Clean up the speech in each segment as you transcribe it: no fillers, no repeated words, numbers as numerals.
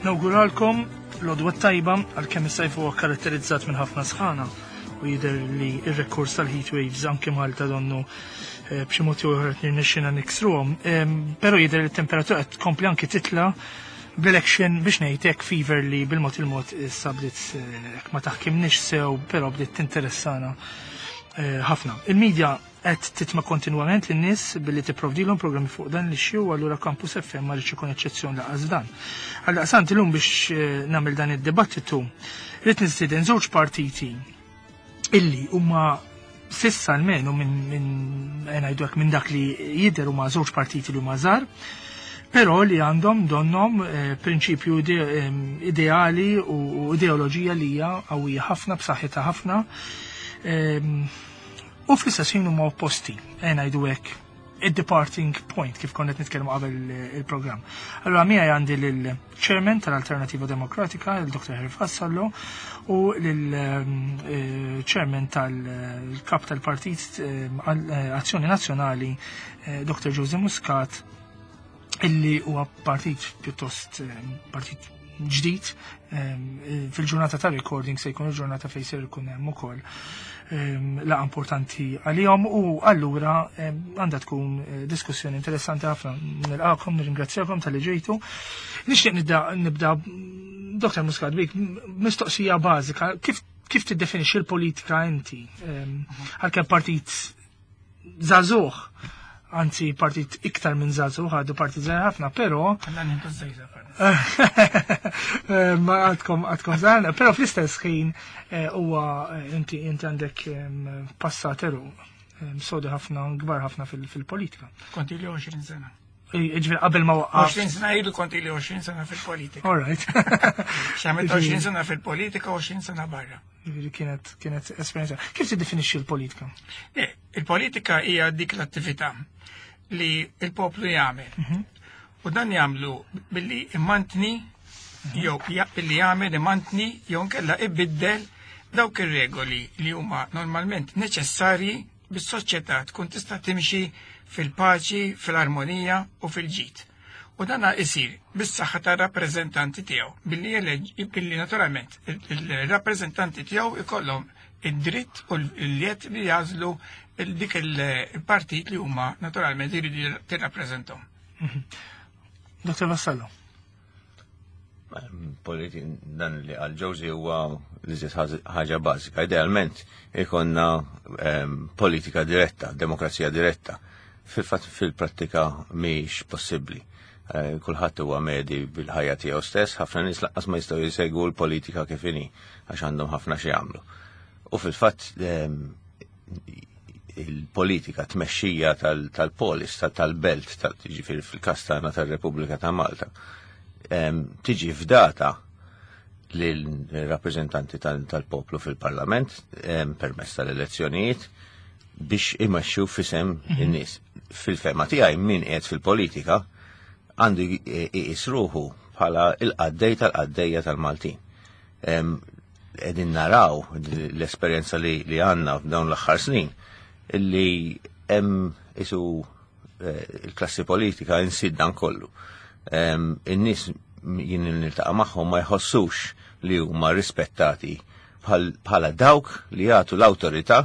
Nawguralkom l-għodwa tajba għalkemm is-sajf huwa karatterizzat minn ħafna sħana u jidher li r-rekors tal-heat waves anke Malta donnu eh, b'xi mod jew ieħor qed nirnexxina niksruhom. Però jidher li t-temperatura qed tkompli anke titla' bl-election biex ngħid hekk fever li bil-mod il-mod issa bdiet eh, ma taħkimniex sew, però bdiet tinteressana eh, ħafna. Il-medja qed titma' kontinwament lin-nies billi tipprovdilhom programmi fuq dan l-issue u allura Campus FM ma rridx ikun eċċezzjoni laqas dan. Għaldaqstant illum biex eh, nagħmel dan id-dibattitu rrid nistieden żewġ partiti illi huma sissa almenu minn min, eh, ngħidu hekk minn dak li jidher huma żewġ partiti li huma żgħar, però li għandhom donnom eh, prinċipju ide, ideali u ideoloġija li hija qawwija ħafna b'saħħitha ħafna. U fl-istess ħin huma opposti, eh ngħidu hekk, id-departing point kif konna qed nitkellmu qabel il-programm. Allura miegħi għandi lill-Chairman tal-Alternativa Demokratika, il-Dr. Harry Vassallo, u lill-Chairman eh, tal-Kap tal-Partit eh, eh, Azzjoni Nazzjonali, Dr. Jose Muscat, illi huwa partit pjuttost partit ġdid fil-ġurnata ta' recording se jkun il-ġurnata fejn ser ikun hemm ukoll laqa importanti għalihom u allura għandha tkun eh, diskussjoni interessanti ħafna. Nilqakom, nirringrazzjakom tal-li ġejtu. Nixtieq nibda Dr. Muscat bik mistoqsija bażika, kif kif tiddefinixxi l-politika inti? Għalkemm partit żagħżugħ, anzi partit iktar minn żagħżugħ, għadu partit żgħir ħafna, però. Eh, ma għadkom għadkom żgħar, però fl-istess ħin eh, huwa eh, inti inti għandek passat eru sodi ħafna kbar ħafna fil-politika. Kont ili 20 sena. Ġifieri qabel ma waqqaf. 20 sena ilu kont ili 20 sena fil-politika. All right. X'għamilt 20 sena fil-politika 20 sena barra. Ġifieri kienet kienet esperjenza. Kif tiddefinixxi l-politika? Il-politika hija dik l-attività li il-poplu jagħmel. Mhm. U dan jagħmlu billi imantni mhm. jew billi jagħmel imantni jew nkella ibiddel dawk ir-regoli li huma normalment neċessarji bis-soċjetà tkun tista' timxi fil-paċi, fil-armonija u fil-ġid. U dana isir bis-saħħa tar-rappreżentanti tiegħu billi billi naturalment il-rappreżentanti tiegħu ikollhom id-dritt u l-jett li jażlu dik il-partit li huma naturalment jridu tirrappreżentahom. Mhm. Dr. Vassallo. Politi dan li għal ġewżi huwa li ħaġa bażika. Idealment ikonna ehm, politika diretta, demokrazija diretta. Fil-fatt fil-prattika mhix possibbli. Eh, kulħadd huwa medi bil-ħajja tiegħu stess, ħafna nies lanqas ma jistgħu jsegwu l-politika kif inhi għax għandhom ħafna xi jagħmlu. U fil-fatt ehm, il-politika tmexxija tal-polis, tal-belt, tal-ġifieri fil-każ tagħna tar-Repubblika ta' Malta, ehm, tiġi fdata lill-rappreżentanti tal-poplu fil-Parlament ehm, permezz tal-elezzjonijiet biex imexxu fisem mhm. in-nies. Fil-fema tiegħi min qiegħed fil-politika għandu iqis ruħu bħala il-qaddej tal-qaddejja tal-Maltin. Qegħdin naraw l-esperjenza li għandna f'dawn l-aħħar snin illi hemm isu eh, il-klassi politika insid dan kollu. In-nies jien niltaqa' magħhom ma jħossux li huma rispettati bħala dawk li jagħtu l-awtorità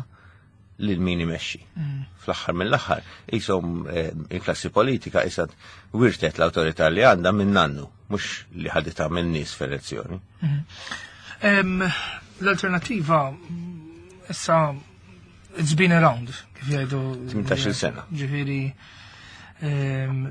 lil min imexxi. Mm. Fl-aħħar mill-aħħar, jisom eh, il-klassi politika isad wirtet l-awtorità li għandha minn nannu, mhux li ħaditha minn nies f'elezzjoni. Mm. L-alternativa issa it's been around, kif jgħidu. 18 sena. Ġifieri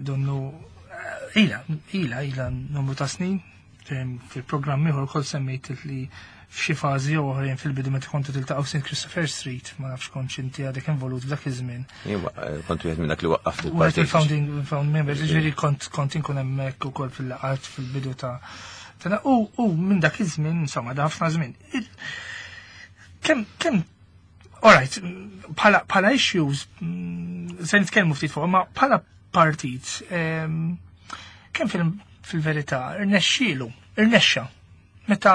donnu eh, ila, ila, ila numru ta' snin, Fil-programm ieħor ukoll semmejt li f'xi fażi jew oħrajn fil-bidu meta kontu tiltaqgħu St. Christopher Street, ma nafx kontx inti għadek involut f'dak iż-żmien. Eh, kont wieħed minn dak li waqqaft il-partit. Il-founding found members, ġifieri kont kont inkun hemmhekk ukoll fil-laqgħat fil-bidu ta' u u minn dak iż-żmien, insomma, da ħafna żmien. Kemm kemm Alright, bħala bħala issues mm, se nitkellmu ftit fuq, ma bħala partit kemm fil-verità irnexxielu, irnexxa meta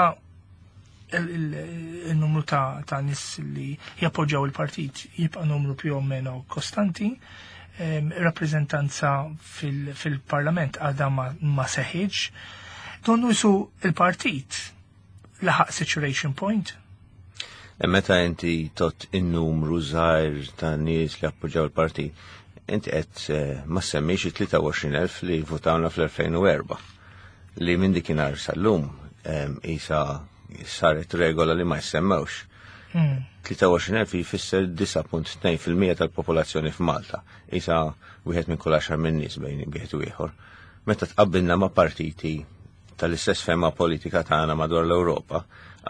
il-numru ta' nies li jappoġġjaw il-partit jibqa' numru più o meno kostanti, rappreżentanza fil-parlament għadha ma seħħitx. Donnu jisu il-partit laħaq saturation point. E meta inti tot in-numru żgħir ta' nies li appoġġjaw il-partit, inti qed eh, ma semmix il-23,000 li votawna fl-2004 li minn dikinhar sal-lum isa saret regola li ma jsemmewx. 23,000 jfisser 9.2% tal-popolazzjoni f'Malta. Isa wieħed minn kull għaxar minn nies bejn wieħed u ieħor. Meta tqabbilna ma' partiti tal-istess fema politika tagħna madwar l-Ewropa,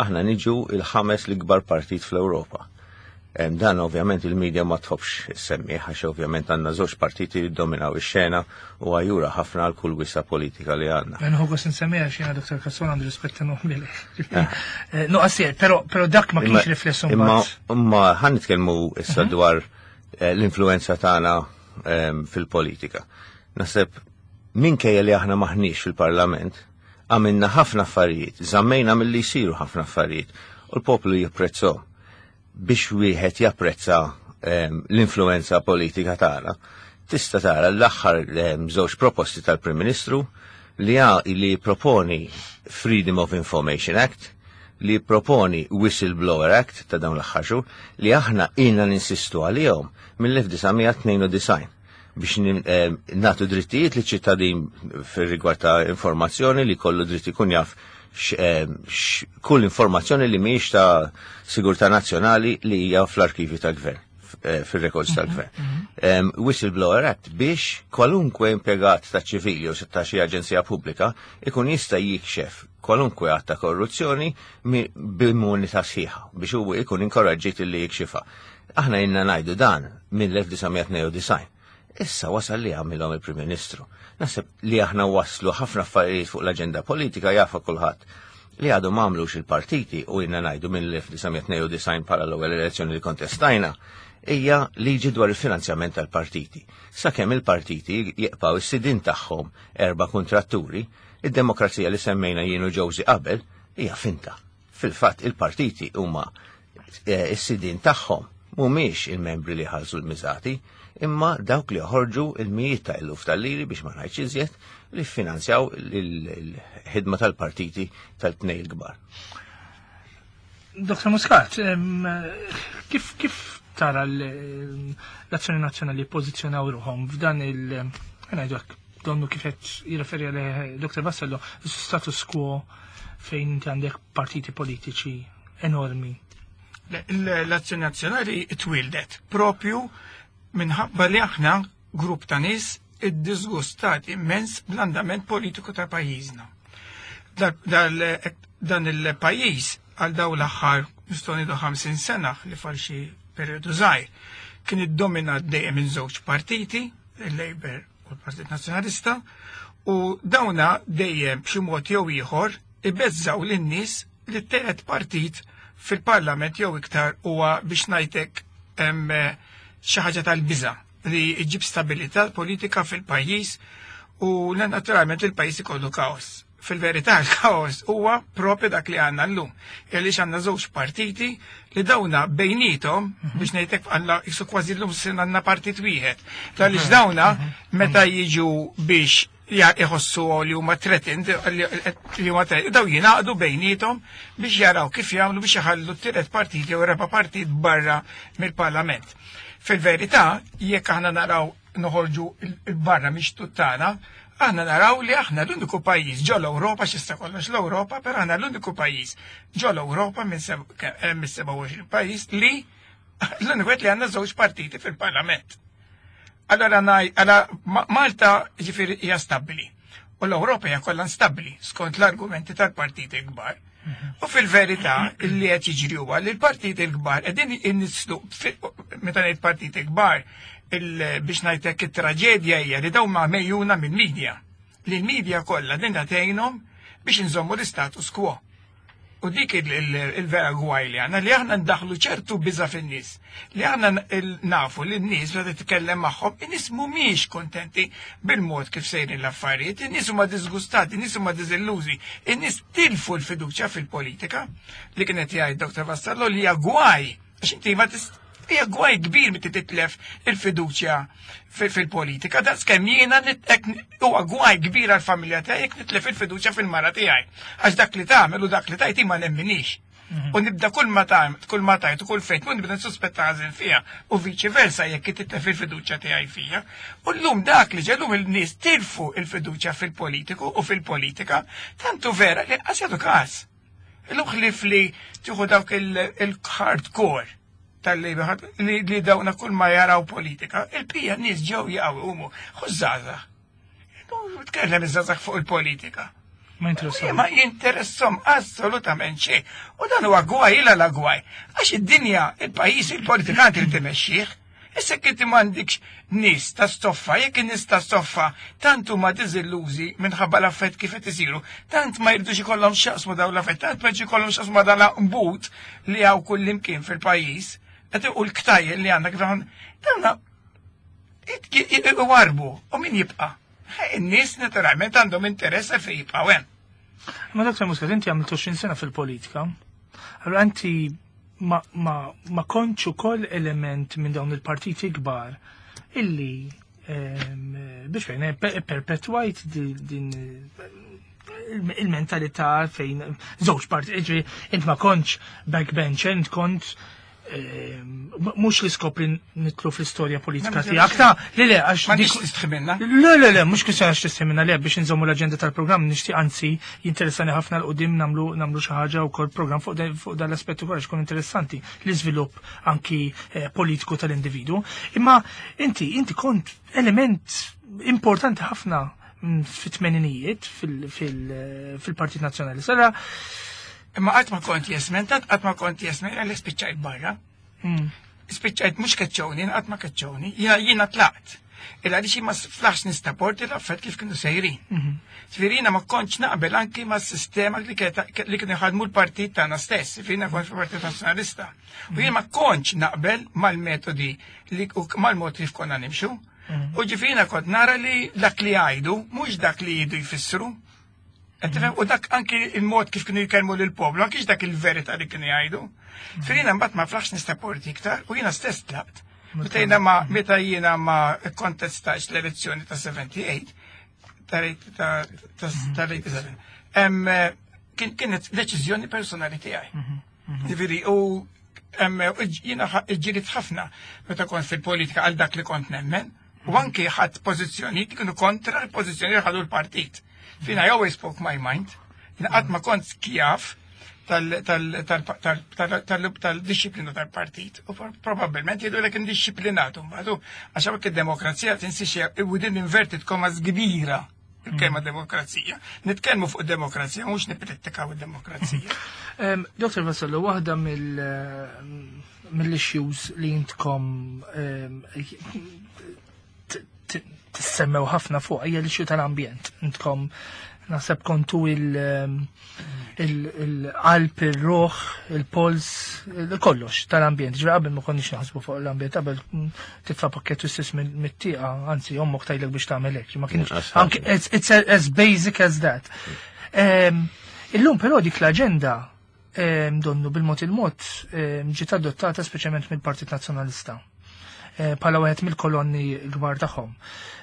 aħna niġu il-ħames l-ikbar partit fl-Ewropa. Dan ovvjament il-medja ma tħobbx semmih għax ovvjament għandna żewġ partiti li dominaw ix-xena u għajura ħafna għal kull wisa politika li għandna. Nħu gost nsemmiha xi Dr. Casson għandu rispett enormi leh. Eh, no, għasir, però dak ma kienx riflessu Imma imma ħan nitkellmu issa dwar eh, l-influenza tagħna ehm, fil-politika. Naħseb minkejja li aħna maħniex fil-parlament, għamilna ħafna affarijiet, żammejna milli jsiru ħafna affarijiet u l-poplu jipprezzhom. Biex wieħed japprezza ehm, l-influenza politika tagħna, tista' tara l-aħħar ehm, żewġ proposti tal-Prim Ministru li li proponi Freedom of Information Act, li proponi Whistleblower Act ta' dawn l-aħħar xhur, li aħna ilna ninsistu għalihom mill-1992 biex eh, natu drittijiet li ċittadin fir-rigward ta' informazzjoni li kollu dritt ikun jaf eh, kull informazzjoni li mhijiex ta' sigurtà nazzjonali li hija fl-arkivi tal-gvern eh, fil-records tal-gvern. Whistleblower Act biex kwalunkwe impjegat ta' ċivili u ta' xi aġenzija pubblika ikun jista' jikxef kwalunkwe att ta' korruzzjoni b'immunità sħiħa biex huwa ikun inkoraġġit li jikxifa. Aħna ilna ngħidu dan mill-1992. Issa wasal li għamilhom il-Prim Ministru. Naħseb li aħna waslu ħafna affarijiet fuq l-aġenda politika jafa kulħadd li għadu m'għamlux il-partiti u ilna ngħidu mill-1992 bħala l-ewwel elezzjoni li kontestajna hija liġi dwar il-finanzjament tal-partiti. Sakemm il-partiti jibqgħu s-sidin tagħhom erba' kontratturi, id-demokrazija li semmejna jienu ġewżi qabel hija finta. Fil-fatt il-partiti huma eh, s-sidin tagħhom mhumiex il-membri li ħallsu l-miżati, imma dawk li joħorġu il-mijiet ta' eluf tal-liri biex ma ngħidx iżjed li finanzjaw il-ħidma tal-partiti tal-tnej il-kbar. Dr. Muscat, kif kif tara l-Azzjoni Nazzjonali pożizzjonaw ruħhom f'dan il- ngħidu hekk, donnu kif qed jirreferi għalih Dr. Vassallo, status quo fejn inti għandek partiti politiċi enormi. L-Azzjoni Nazzjonali twildet propju minħabba li aħna grupp ta' nies iddisgustati immens bl-andament politiku ta' pajjiżna. Dan il-pajjiż għal daw l-aħħar nistgħu ngħidu 50 sena li fal xi perjodu żgħir kien iddominat dejjem minn żewġ partiti, il-Labour u l-Partit Nazzjonalista, u dawna dejjem b'xi mod jew ieħor ibeżżaw lin-nies li t-tielet partit fil-parlament jew iktar huwa biex ngħidlek hemm xi ħaġa tal-biża' li jġib stabilità politika fil-pajjiż u naturalment il-pajjiż ikollu kaos. Fil-verità il-kaos huwa propju dak li għandna llum. Għaliex għandna żewġ partiti li dawna bejnietom biex ngħidlek għandna jisu kważi llum sin għandna partit wieħed. Għaliex dawna meta jiġu biex iħossu li huma threatened, li huma threatened, daw jingħaqdu bejnietom biex jaraw kif jagħmlu biex iħallu t-tielet partit jew raba' partit barra mill-parlament. Fil-verità, jekk aħna naraw noħorġu il-barra mix tuttana, aħna naraw li aħna l-uniku pajjiż ġo l-Ewropa, x'issa kollox l-Ewropa, però aħna l-uniku pajjiż ġo l-Ewropa minn 27 pajjiż li l-uniku li għandna żewġ partiti fil-parlament. Allora għala Malta ġifieri hija stabbli. U l-Ewropa hija kollha instabbli skont l-argumenti tal-partiti kbar. U fil-verità li qed jiġri huwa li l-partiti l-kbar qegħdin innislu meta ngħid partiti kbar biex ngħidlek it-traġedja hija li dawn ma mejjuna mill-medja. Li l-medja kollha din tgħinhom biex inżommu l-istatus quo. U dik il-vera gwaj li għandna li aħna ndaħlu ċertu biża fin-nies. Li aħna nafu li n-nies meta titkellem magħhom, in-nies mhumiex kontenti bil-mod kif sejrin l-affarijiet, in-nies huma disgustati, in-nies huma diżillużi, in-nies tilfu l-fiduċja fil-politika li kienet jgħid Dr. Vassallo li hija gwaj għax inti ma tist. Hija gwaj kbir meta titlef il-fiduċja fil-politika. Daqs kemm jiena huwa gwaj kbir għall-familja tiegħi jekk nitlef il-fiduċja fil-mara tiegħi. Għax dak li tagħmel u dak li tajt ma nemminix. U nibda kull ma tajt, kull ma tajt u kull fejt, u nibda nsuspetta ħażin fija u viċi versa jekk titlef il-fiduċja tiegħi fija. U llum dak li ġellum il-nies tilfu il-fiduċja fil-politiku u fil-politika, tantu vera li qas jagħtu każ. Illum ħlief li tieħu dawk il-hardcore tal-Labour li dawna kull ma jaraw politika, il-pija nies ġew jaqgħu umu, ħużżaża. Tkellem iż-żgħażagħ fuq il-politika. Ma jinteressom. Ma jinteressom assolutament xejn. U dan huwa gwaj ila la gwaj. Għax id-dinja, il-pajjiż, il-politikanti li timexxih. Issa jekk inti m'għandikx nies ta' stoffa, jekk in-nies ta' stoffa tant huma diżillużi minħabba l-affett kif qed isiru, tant ma jridux ikollhom x'jaqsmu dawn l-affett, tant ma jridux ikollhom x'jaqsmu dan l-qbut li hawn kullimkien fil-pajjiż, qed u l-ktajjen li għandna kif dawna iwarbu u min jibqa'? In-nies naturalment għandhom interess fejn jibqgħu hemm. Ma Dr. Muscat, inti għamilt 20 sena fil-politika. Allora inti ma, ma, ma kontx ukoll element minn dawn il-partiti kbar illi biex fejn perpetwajt din il-mentalità fejn żewġ parti, int ma kontx backbencher, int kont mhux l-iskop li nitlu fl-istorja politika tiegħek ta' li le għax ma nix tistħi Le le le mhux kwistjoni għax tistħi le biex inżommu l-aġenda tal-programm nixtieq anzi jinteressani ħafna 'l quddiem nagħmlu nagħmlu xi ħaġa wkoll programm fuq dan l-aspett ukoll għax ikun interessanti l-iżvilupp anki politiku tal-individu. Imma inti inti kont element importanti ħafna fit-tmeninijiet fil-Partit Nazzjonali. Sara Imma qatt ma kont jesmen, tant qatt ma kont jesmen, għalli spiċċajt barra. Spiċċajt mhux keċċewni, qatt ma keċċewni, jiena tlaqt. Illa għaliex ma flaħx nistaporti l-affett kif kienu sejrin. Ġifieri ma kontx naqbel anki ma' sistema li kienu jħadmu l-partit tagħna stess, ġifieri kont fil-Partit Nazzjonalista. U jien ma kontx naqbel mal-metodi li mal-mod kif konna nimxu. U ġifieri kont nara li dak li jgħidu mhux dak li jgħidu jfissru. U dak anki il-mod kif kienu jkellmu lill-poplu, anki dak il-verità li kienu jgħidu. Firina mbagħad ma flaħx nistaporti iktar u jiena stess tlaqt. Meta jiena ma meta jiena ma kontestax l-elezzjoni ta' 78 ta' 87. Kienet deċiżjoni personali tiegħi. Ġifieri u jiena ġġilidt ħafna meta kont fil-politika għal dak li kont nemmen u anki ħadt pożizzjoni kienu kontra l-pożizzjoni li ħadu l-partit. Fina I always spoke my mind. Jiena qatt ma kont skjav tal-disciplina tal-partit. U probabbilment jgħidu lek indisciplinatu mbagħad għax hawnhekk id-demokrazija tinsiex within inverted commas kbira il-kelma demokrazija. Nitkellmu fuq demokrazija, mhux nippritikaw id-demokrazija. Dr. Vassallo, waħda mill-issues li intkom tissemmew ħafna fuq hija l-issue tal-ambjent. Intkom naħseb kontu il-qalb, il-ruħ, il-pols, kollox tal-ambjent. Ġra qabel ma konniex naħsbu fuq l-ambjent, qabel titfa' pakket stess mit-tieqa, anzi ommok tgħidlek biex tagħmel hekk. Ma kienx anke it's as basic as that. Illum però dik l-aġenda donnu bil-mod il-mod ġiet adottata speċjalment mill-Partit Nazzjonalista bħala wieħed mill-kolonni kbar tagħhom.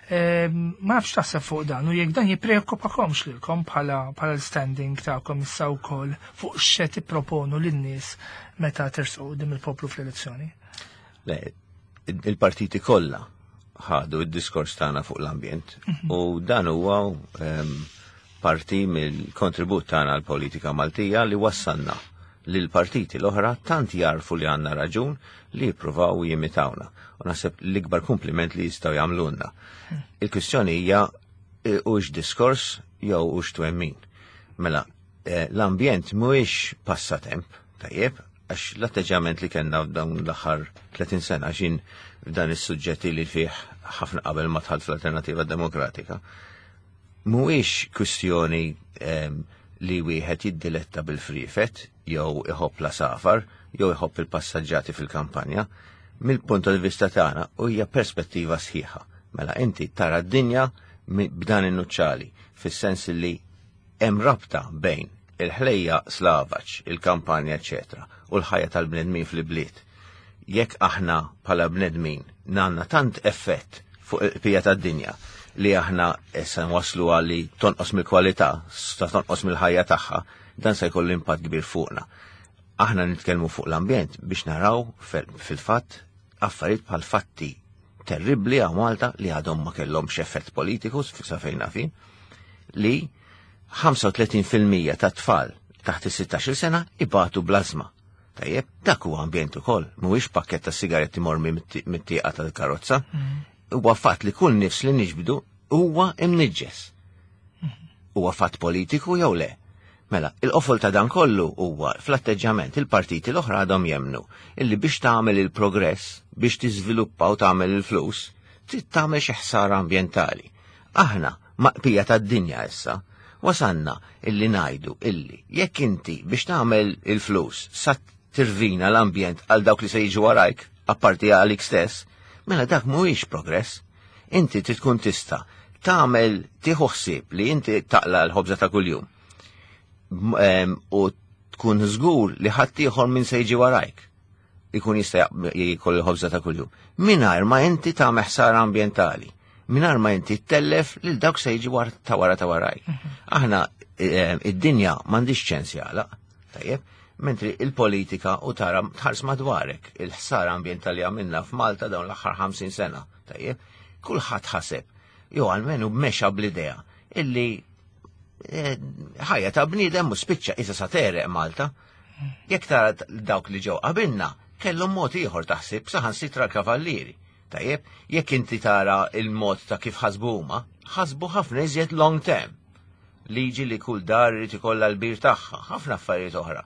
Ma nafx taħseb fuq dan u jekk dan jippreokkupakomx lilkom bħala l-standing tagħkom issa wkoll fuq x'se tipproponu lin-nies meta tersqu quddiem il-poplu fl-elezzjoni. Le, il-partiti kollha ħadu id-diskors tagħna fuq l-ambjent u dan huwa parti mill-kontribut tagħna għall-politika Maltija li wassalna li l-partiti l-oħra tant jarfu li għandna raġun li jippruvaw jimitawna. U naħseb l-ikbar kompliment li jistgħu jagħmlulna. Il-kwistjoni hija hux diskors jew hux twemmin. Mela, l-ambjent mhuwiex passatemp, tajjeb, għax l-atteġġament li kellna f'dawn l-aħħar 30 sena xin f'dan is-suġġetti li fih ħafna qabel ma dħalt fl-Alternativa Demokratika, mhuwiex kwistjoni li wieħed jiddiletta bil-frifet jew iħobb l-għasafar jew iħobb il-passaġġati fil-kampanja. Mill-punt tal vista tagħna u hija perspettiva sħiħa. Mela inti tara d-dinja b'dan in-nuċċali, fis-sens li hemm rabta bejn il-ħlejjaq slavaġ, il-kampanja, eċetera, u l-ħajja tal-bnedmin fil-bliet. Jekk aħna bħala bnedmin għandna tant effett fuq il-qpija tad-dinja li aħna issa nwaslu għal li tonqos mill-kwalità, sa tonqos mill-ħajja tagħha, dan se jkollu impatt kbir fuqna. Aħna nitkellmu fuq l-ambjent biex naraw fil-fatt affarijiet bħal fatti terribbli għal Malta li għadhom ma kellhomx effett politiku sa fejn nafin, li 35% ta' tfal taħt is-16 sena ibatu blażma. Tajjeb, dak huwa ambjent ukoll, mhuwiex pakkett ta' sigaretti mormi mit-tieqa tal-karozza. Huwa fatt li kull nifs li niġbdu huwa imniġġes. Huwa fatt politiku jew le? Mela, il-qofol ta' dan kollu huwa fl-atteġġjament il-partiti l-oħra għadhom jemmnu illi biex tagħmel il-progress, biex tiżviluppa u tagħmel il-flus, trid tagħmel xi ħsara ambjentali. Aħna maqpija tad-dinja issa, wasalna illi ngħidu illi jekk inti biex tagħmel il-flus sa tirvina l-ambjent għal dawk li se jiġu warajk, apparti għalik stess, mela dak mhuwiex progress. Inti trid tkun tista' tagħmel tieħu ħsieb li inti taqla l-ħobża ta' kuljum. U tkun żgur li ħaddieħor min se jiġi warajk ikun jista' jkoll il-ħobża ta' kuljum. Mingħajr ma inti tagħmel ħsara ambjentali, mingħajr ma inti ttellef lil dawk se jiġi war ta' wara ta' warajk. Mhm. Aħna id-dinja m'għandix ċens jagħlaq, tajjeb, mentri il-politika u tara tħares madwarek il-ħsara ambjentali għamilna f'Malta dawn l-aħħar 50 sena, tajjeb, kulħadd ħaseb, jew almenu mexa bl-idea illi eh, ħajja ta' bniedem u spiċċa isa sa tereq Malta. Jekk tara dawk li ġew qabilna, kellhom mod ieħor taħsib saħansitra l-kavallieri. Tajjeb, jekk inti tara il-mod ta' kif ħasbu huma, ħasbu ħafna iżjed long term. Liġi li kull dar irid ikollha l-bir tagħha, ħafna affarijiet oħra.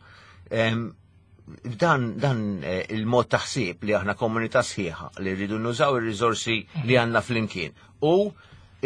Dan, dan eh, il-mod taħsib li aħna komunità sħiħa li rridu nużaw ir-riżorsi li għandna flimkien u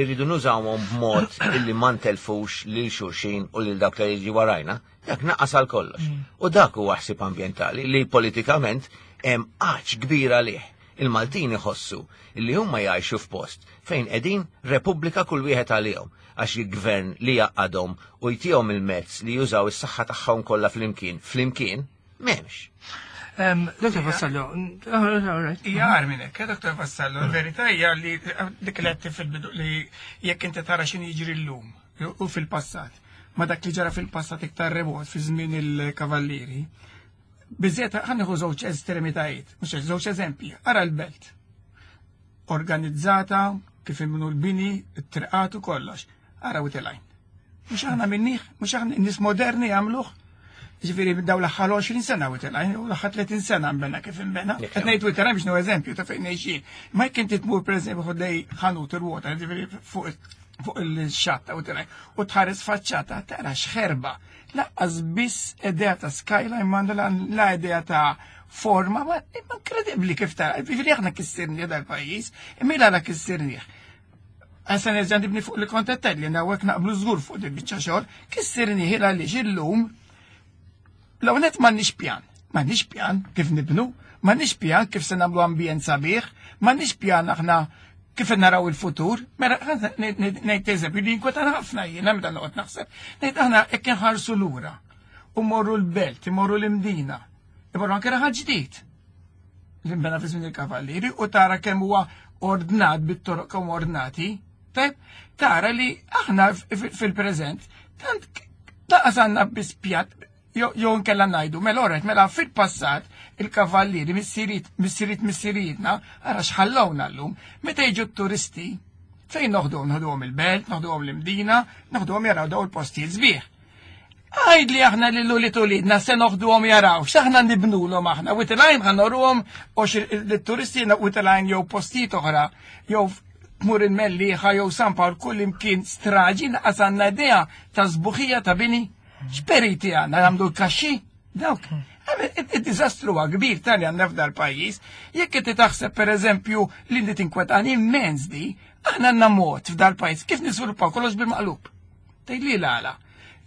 irridu nużawhom b'mod illi ma ntelfux lil xulxin u lil dawk li jiġi warajna, Dak naqas għal kollox. Mm. U dak huwa ħsieb ambjentali li politikament hemm għaċ kbir għalih. Il-Maltin iħossu li huma jgħixu f'post fejn qegħdin repubblika kull wieħed għalihom għax il-gvern li jaqadhom u jtihom il-mezz li jużaw is-saħħa tagħhom kollha flimkien, flimkien, m'hemmx. Dr. Vassallo, Hija għar minn hekk, eh, Dr. Vassallo, il-verità hija li dik li fil-bidu li jekk inti tara x'inhi jiġri llum u fil-passat. Ma dak li ġara fil-passat iktar remot fi żmien il-kavallieri. Biżiet ħa nieħu żewġ estremitajiet, mhux żewġ eżempji. Ara l-belt. Organizzata kif imnu l-bini, it-triqat u kollox. Ara u telajn. Mhux aħna minnih, mhux aħna nies moderni jagħmluh. Ġifieri daw l-aħħar 20 sena u telajn, u l-aħħar 30 sena nbena kif inbena. Qed ngħid u biex eżempju ta' fejn ngħixin. Ma jekk inti tmur pereżempju ħoddej ħanut il-water, ġifieri fuq fuq il-xatta u tilaj u tħares faċċata tara xħerba. Laqqas biss idea ta' skyline mandu la idea ta' forma, ma inkredibbli kif tara. Ġifieri aħna kissirni dal-pajjiż, imma la kissirnih. Għasa nerġa' nibni fuq li kont qed li hawnhekk naqblu żgur fuq din biċċa xogħol, kissirni għaliex illum L-ewwel m'għandniex pjan. M'għandniex pjan kif nibnu, m'għandniex pjan kif se nagħmlu ambjent sabiħ, m'għandniex pjan aħna kif naraw il-futur. Mela ngħid eżempju li jinkwetana ħafna jiena meta noqgħod naħseb, ngħid aħna hekk inħarsu lura u morru l-belt, imorru l-imdina, imorru anke raħal ġdid. L-imbena fi żmien il-kavallieri u tara kemm huwa ordnat bit-toroq kemm ordnati, tajb, tara li aħna fil-preżent tant laqas għandna biss pjat jew nkella ngħidu mela oret mela fil-passat il-kavallieri missiriet missiriet missirietna ara x'ħallowna llum meta jiġu t-turisti fejn noħduhom noħduhom il-belt, noħduhom l-imdina, noħduhom jaraw daw il-postijiet sbieħ. Għajd li aħna li l-uli tulidna se noħduhom jaraw, x'aħna nibnulhom aħna, witilajn ħa noruhom l-turisti witilajn jew postijiet oħra, jew tmur il-Mellieħa jew San Pawl kull imkien straġi naqas għandna idea ta' sbuħija ta' bini. X'periti għandna nagħmlu l-kaxxi? Dawk. Id-diżastru huwa kbir tal għandna f'dal pajjiż. Jekk inti taħseb pereżempju li inti tinkwetani immens di, aħna għandna mod f'dal pajjiż kif niżviluppaw kollox bil-maqlub. Tgħid li l-għala.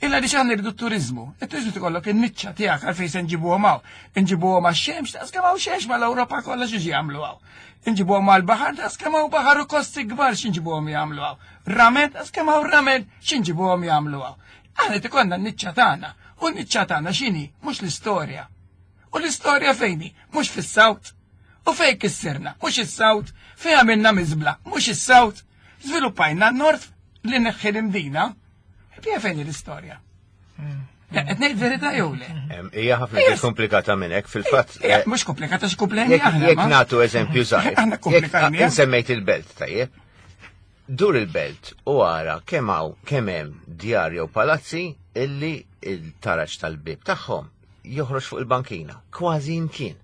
Illa li xaħna rridu turizmu. Il-turizmu tikollok in-niċċa tiegħek għalfejn se nġibuhom hawn. Nġibuhom għax-xemx, daqs kemm hawn xemx mal-Ewropa kollha xi jagħmlu hawn. Nġibuhom għall-baħar, daqs kemm hawn baħar u kosti kbar xi nġibuhom jagħmlu hawn. Ramel, daqs kemm hawn ramel xi nġibuhom jagħmlu hawn. Aħna tikollna n-niċċa tagħna. U n-niċċa tagħna x'inhi? Mhux l-istorja. U l-istorja fejni? Mhux fis-sawt. U fejn kissirna? Mhux is-South, fejn għamilna miżbla, mhux is-South. Żviluppajna n-North li neħħi l-Imdina. Pija fejn l-istorja. Qed ngħid verità jew le? Hija ħafna iktar komplikata minn hekk fil-fatt. Eh, mhux komplikata x'kumplejni aħna. Jekk nagħtu eżempju żgħir. Aħna komplikajni. Insemmejt il-belt tajjeb. Dur il-belt u ara kemm hawn kemm hemm djar jew palazzi illi il-taraġ tal-bib tagħhom joħroġ fuq il-bankina. Kważi imkien.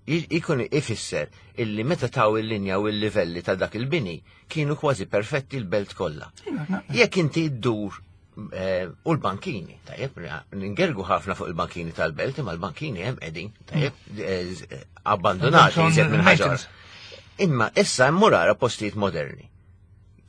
Ikun ifisser illi meta taw il-linja u il-livelli ta' dak il-bini kienu kważi perfetti l-belt kollha. Iva, Jekk inti ddur eh, u l-bankini, tajjeb, ningergu ħafna fuq il-bankini tal-belt, imma l-bankini hemm qegħdin, tajjeb, eh, abbandonati iżjed minn ħaġa. Imma issa hemm murara postijiet moderni.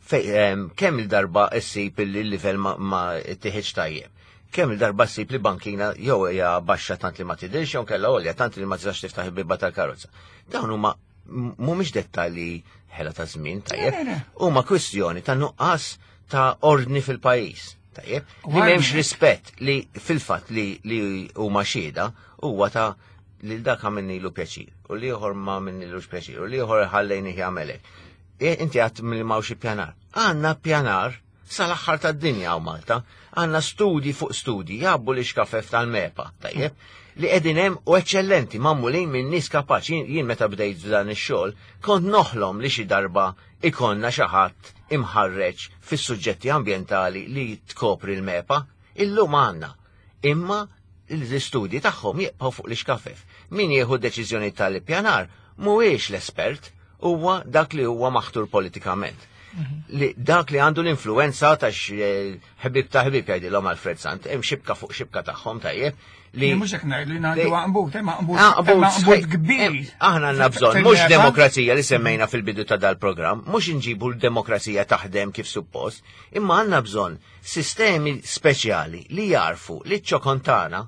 Kemm il-darba issib li l-livell ma tiħiġ tajjeb. Kemm il-darba ssib li bankina jew hija baxxa tant li ma tidhirx jew kellha għolja tant li ma tistax tiftaħ il-bibba tal-karozza. Dawn huma mhumiex dettalji ħela ta' żmien tajjeb, huma kwistjoni ta' nuqqas ta' ordni fil-pajjiż. Tajjeb, li m'hemmx rispett li fil-fatt li li huma xhieda huwa ta' li dak għamilnilu pjaċir u li ieħor ma għamilnilux pjaċir u li ieħor ħallejnih jagħmelek. E, inti għat mill mawx pjanar. Għandna pjanar sal-aħħar tad-dinja hawn Malta. Għandna studji fuq studji jgħabbu li xkafef tal-MEPA, tajjeb, li qegħdin hemm u eċċellenti magħmulin minn nies kapaċi. Jien meta bdejt dan ix-xogħol kont noħlom li xi darba ikollna xi ħadd imħarreġ fis-suġġetti ambjentali li tkopri l-MEPA. Illum għandna. Imma l-istudji tagħhom jibqgħu fuq l-ixkafef. Min jieħu deċiżjoni tal-ippjanar mhuwiex l-espert, huwa dak li huwa maħtur politikament. Mhm. Li dak li għandu l-influenza ta' eh, ħbib ta' ħbib jgħidilhom Alfred Sant, hemm xibka fuq xibka tagħhom tajjeb li mhux hekk ngħid li ngħidu għanbut, hemm għanbut kbir. Aħna għandna bżonn mhux demokrazija li semmejna fil-bidu ta' dal-programm, mhux inġibu l-demokrazija taħdem kif suppost, imma għandna bżonn sistemi speċjali li jarfu li ċ-ċokontana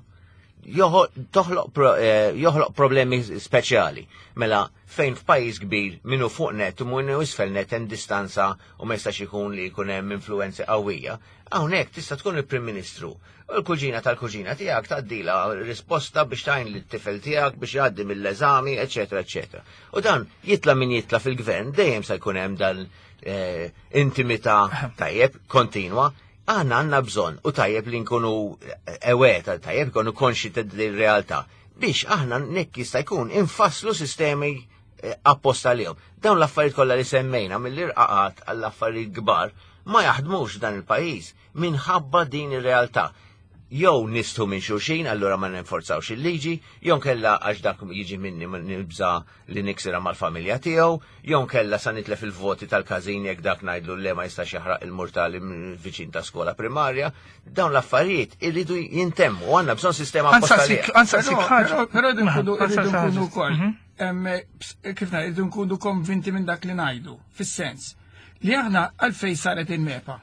eh, joħloq problemi speċjali. Mela, fejn f'pajjiż kbir minnu fuq net u minnu isfel net hemm distanza u ma jistax ikun li jkun hemm influenzi qawwija, hawnhekk tista' tkun il-Prim Ministru. U l-kuġina tal-kuġina tiegħek tgħaddilha risposta biex tgħin lit-tifel tiegħek biex jgħaddi mill-eżami, eċetera, eċetera. U dan jitla' min jitla' fil-gvern dejjem se jkun hemm dan eh, intimità tajjeb kontinwa Aħna għandna bżonn u tajjeb li nkunu eweta, tajjeb nkunu konxi ta' realtà biex aħna nekk jista' jkun infasslu sistemi eh, apposta lihom. Dawn l-affarijiet kollha li semmejna mill-irqaqat għall-affarijiet kbar ma jaħdmux dan il-pajjiż minħabba din ir-realtà jew nistħu minn xulxin, allura ma ninforzawx il-liġi, jew kella għax dak jiġi minni nibża li niksirha mal-familja tiegħu, jew inkella sa nitlef il-voti tal-każin jekk dak ngħidlu le ma jistax jaħraq il-murtali viċin ta' skola primarja. Dawn l-affarijiet irridu jintemmu, għandna bżonn sistema apposta. Però rridu nkunu wkoll. Mhm. Kif ngħid, irridu nkunu konvinti minn dak li ngħidu, fis-sens li aħna għalfejn saret il-MEPA.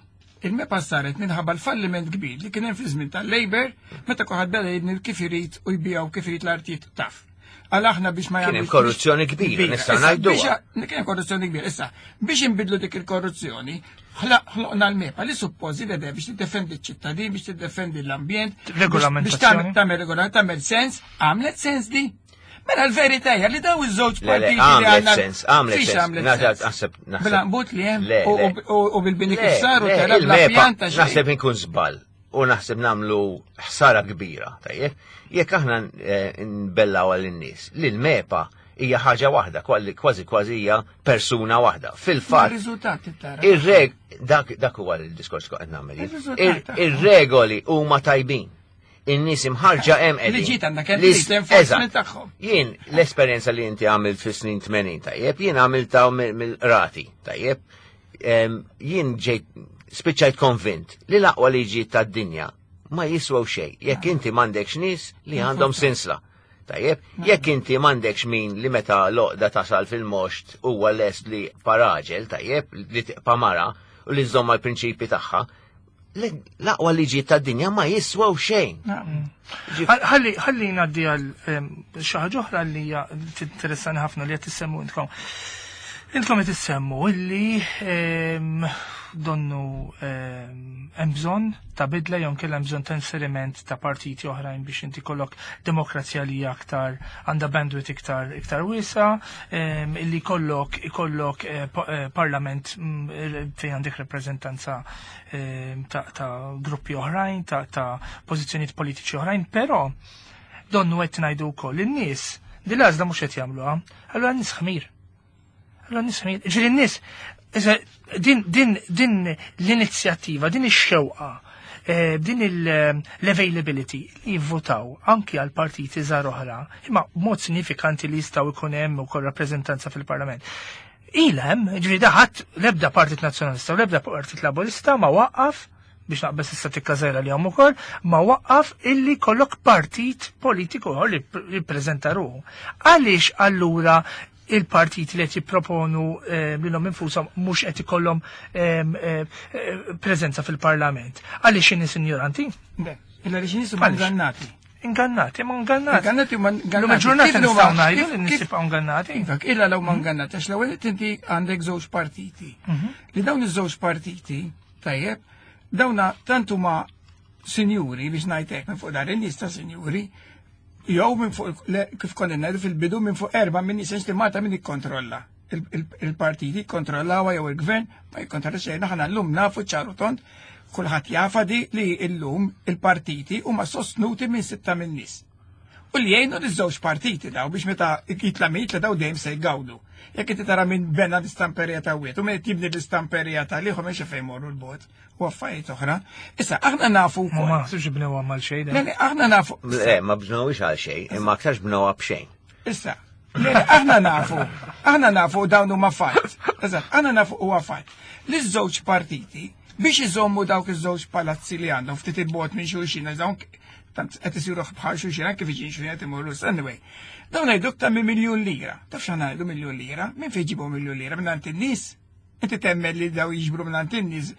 Il-MEPA saret minħabba l-falliment kbir li kien hemm fi żmien tal-Labor meta kulħadd beda jibni kif irid u jbijaw kif irid l-artijiet taf. Għal aħna biex ma jagħmlux. korruzzjoni kbira, nistgħu ngħidu. Kien hemm korruzzjoni kbira. Issa, biex inbidlu dik il-korruzzjoni, ħloqna l-MEPA li suppożi li biex tiddefendi ċ-ċittadin, biex tiddefendi l-ambjent, biex tagħmel regola, tagħmel sens, għamlet sens di. Mela l-verità hija li daw iż-żewġ partiti li għandna. Sens, għamlet sens. Naħseb Bil-għanbut li hemm u bil-bini kif saru tara bla Naħseb inkun żball u naħseb namlu ħsara kbira, tajjeb, jekk aħna eh, nbellaw għal in-nies li l-MEPA hija ħaġa waħda, kważi kważi hija persuna waħda. Fil-fatt. Ir-riżultati tara. Ir-reg dak dak huwa l-diskors qed nagħmel. Ir-regoli huma tajbin. In-nies imħarġa hemm qegħdin. Liġijiet għandna kemm l-enforcement tagħhom. Jien l-esperjenza li inti għamilt fis-snin 80 tajjeb, jien għamilta mill-qrati tajjeb. Jien ġejt spiċċajt konvint li l-aqwa liġi tad-dinja ma jiswew xejn jekk inti m'għandekx nies li għandhom sinsla. Tajjeb, jekk inti m'għandekx min li meta loqda tasal fil-moxt huwa lest li paraġel, tajjeb, li tiqpa mara u li żżomm mal-prinċipi tagħha, l-aqwa liġi tad-dinja ma jiswew xejn. Ħalli ħalli ngħaddi għal xi ħaġa oħra li hija tinteressani ħafna li qed tissemmu intkom. Intom qed issemmu illi donnu hemm bżonn ta' bidla jew inkella hemm bżonn ta' inseriment ta' partiti oħrajn biex inti kollok demokrazija li hija aktar għandha bandwidth iktar iktar wiesa, illi kollok ikollok parlament fejn għandek rappreżentanza ta' gruppi oħrajn, ta' pożizzjonijiet politiċi oħrajn, però donnu qed ngħidu wkoll in-nies din l-għażla mhux qed jagħmluha, allura n-nies ħmir. Allura n-nies ħmir. Ġifieri n-nies din din din l-inizjattiva, din ix-xewqa, din l-availability li jivvotaw anki għal partiti żgħar oħra, imma b'mod sinifikanti li jistgħu jkun hemm ukoll rappreżentanza fil-Parlament. Ilhem, ġifieri daħat l-ebda Partit Nazzjonalista u l-ebda Partit Laburista ma waqqaf, biex naqbeż issa tikka żgħira li hawn ukoll, ma waqqaf illi kollok partit politiku ieħor li jippreżenta ruħu. Għaliex allura il-partiti li qed jipproponu lilhom infushom mhux qed ikollhom preżenza fil-Parlament? Għaliex in-nies injoranti? Le, illa li xi huma Għaliex? ingannati. Ingannati, ma ingannati. Ingannati huma ingannati. Illum il-ġurnata Kif huma- nistgħu ngħidu kif- li n-nies kif- jibqgħu ingannati. Iva, illa law ma ingannati, għax l-ewwel inti għandek żewġ partiti. Li dawn iż-żewġ partiti, tajjeb, dawna tant huma sinjuri biex ngħidlek minn fuq dar in-nies ta' sinjuri, jew minn fuq le, kif konna ngħidu fil-bidu minn fuq erba' minn nies li Malta min ikkontrolla. Il-partiti jikkontrollawha jew il-gvern ma jikkontrolla xejn. Aħna llum nafu ċaru tond, kulħadd jafa di li llum il-partiti huma sostnuti minn 6 minn nies. U li jgħinu liż-żewġ partiti daw biex meta jitla' min jitla' daw dejjem se jgawdu. Jekk inti tara minn bena l-istamperija ta' wieħed u min qed jibni l-istamperija ta' liħu m'hemmx fejn morru l-bot u affarijiet oħra. Issa aħna nafu Ma wkoll. ma naħsibx bnewha mal xejn. Le, le, aħna nafu. Le, ma bnewhiex għal xejn, imma aktarx bnewha b'xejn. Issa, le, le, aħna nafu, aħna nafu dawn huma fatt. Eżatt, aħna nafu huwa fatt. Li ż-żewġ partiti biex iżommu dawk iż-żewġ palazzi li għandhom ftit il-bogħod minn xulxin, għax dawn tant qed isiru bħal xulxin anke viċin xulxin qed imorru. Anyway, dawn ngħiduk ta' minn miljun lira. Taf x'aħna ngħidu miljun lira? Minn fejn ġibu miljun lira? Minn għand in-nies? Inti temmen li daw jiġbru minn għand in-nies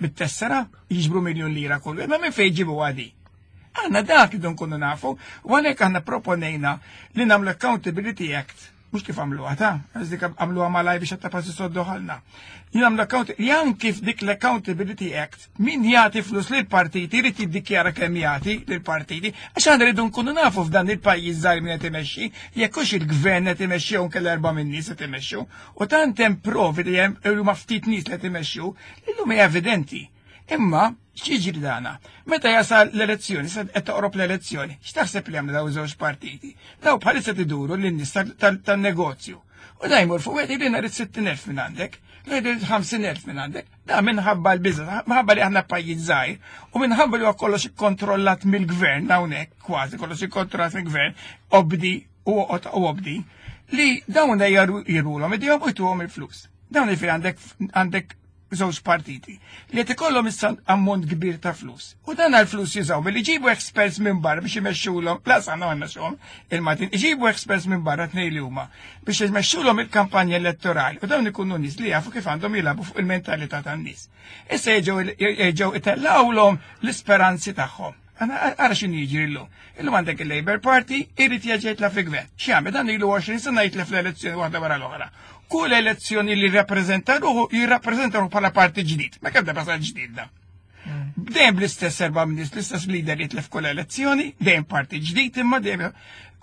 bit-tessera, jiġbru miljun lira kollu. Imma minn fejn ġibu għadi? Aħna dak idu nkunu nafu, u għalhekk aħna proponejna li nagħmlu Accountability Act, mhux kif għamluha ta', għax dik għamluha malaj biex għatta passi soddu ħalna. Jien għamlu account, jan kif dik l-Accountability Act, min jagħti flus lil partiti jrid jiddikjara kemm jagħti lil partiti, għax aħna rridu nkunu nafu f'dan il-pajjiż żgħir min qed imexxi, jekk hux il-gvern qed imexxi jew inkella erba' minn nies qed imexxu, u tant hemm provi li hemm huma ftit nies li qed imexxu, illum hija evidenti. Imma x'jiġri dana? Meta jasal l-elezzjoni, sa qed toqrob l-elezzjoni, x'taħseb li għamlu daw iż-żewġ partiti? Daw bħalissa tiduru lin-nies tan-negozju. U da jmur fuq wieħed jgħid rrid 60,000 minn għandek, jgħid 50,000 minn għandek. Da minħabba l-biża', minħabba li aħna pajjiż żgħir u minħabba li huwa kollox ikkontrollat mill-gvern hawnhekk, kważi kollox ikkontrollat mill-gvern, obdi u oqgħod u obdi, li dawn jirulhom idejhom u jtuhom il-flus. Dawn jiġifieri għandek żewġ partiti li qed ikollhom issa ammont kbir ta' flus. U dan għall-flus jużaw billi jġibu experts minn barra biex imexxulhom, la sa jmexxuhom il-Maltin, iġibu experts minn barra tnej li huma biex imexxulhom il-kampanja elettorali u dawn ikunu nies li jafu kif għandhom jilagħbu fuq il-mentalità tan-nies. Issa jerġgħu itellgħulhom l-isperanzi tagħhom. Għana ara x'inhu jiġri llum. Illum għandek il-Labour Party irid jerġa' jitla' fil-gvern. X'jagħmel dan ilu 20 sena jitla' fl-elezzjoni waħda wara l-oħra. Kull elezzjoni li jirrappreżenta ruħu, jirrappreżenta ruħu bħala parti ġdid. Ma kemm darba sar ġdid da. Dejjem bl-istess erba' nies, l-istess leader jitlef kull elezzjoni, dejjem parti ġdid imma dejjem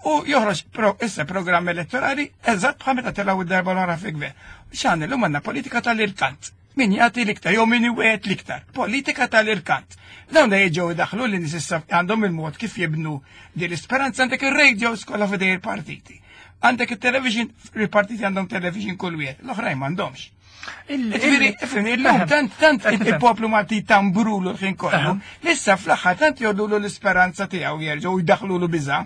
u joħroġ issa programm elettorali eżatt bħal meta telgħu id-darba l-oħra fil-gvern. X'għandna llum għandna politika tal-irkant. Min jagħti l-iktar jew min iwet l-iktar. Politika tal-irkant. Dawn jiġu jdaħlu li nies issa għandhom il-mod kif jibnu din l-isperanza. Għandek ir-radio skola f'idej il-partiti. Għandek il-television, il-partiti għandhom television kull wieħed, l-oħrajn m'għandhomx. Ġifieri, ifhimni, illum tant il-poplu Malti tambrulu l-ħin kollu, issa fl-aħħar tant jgħodulu l-isperanza tiegħu jerġgħu jdaħlulu biża'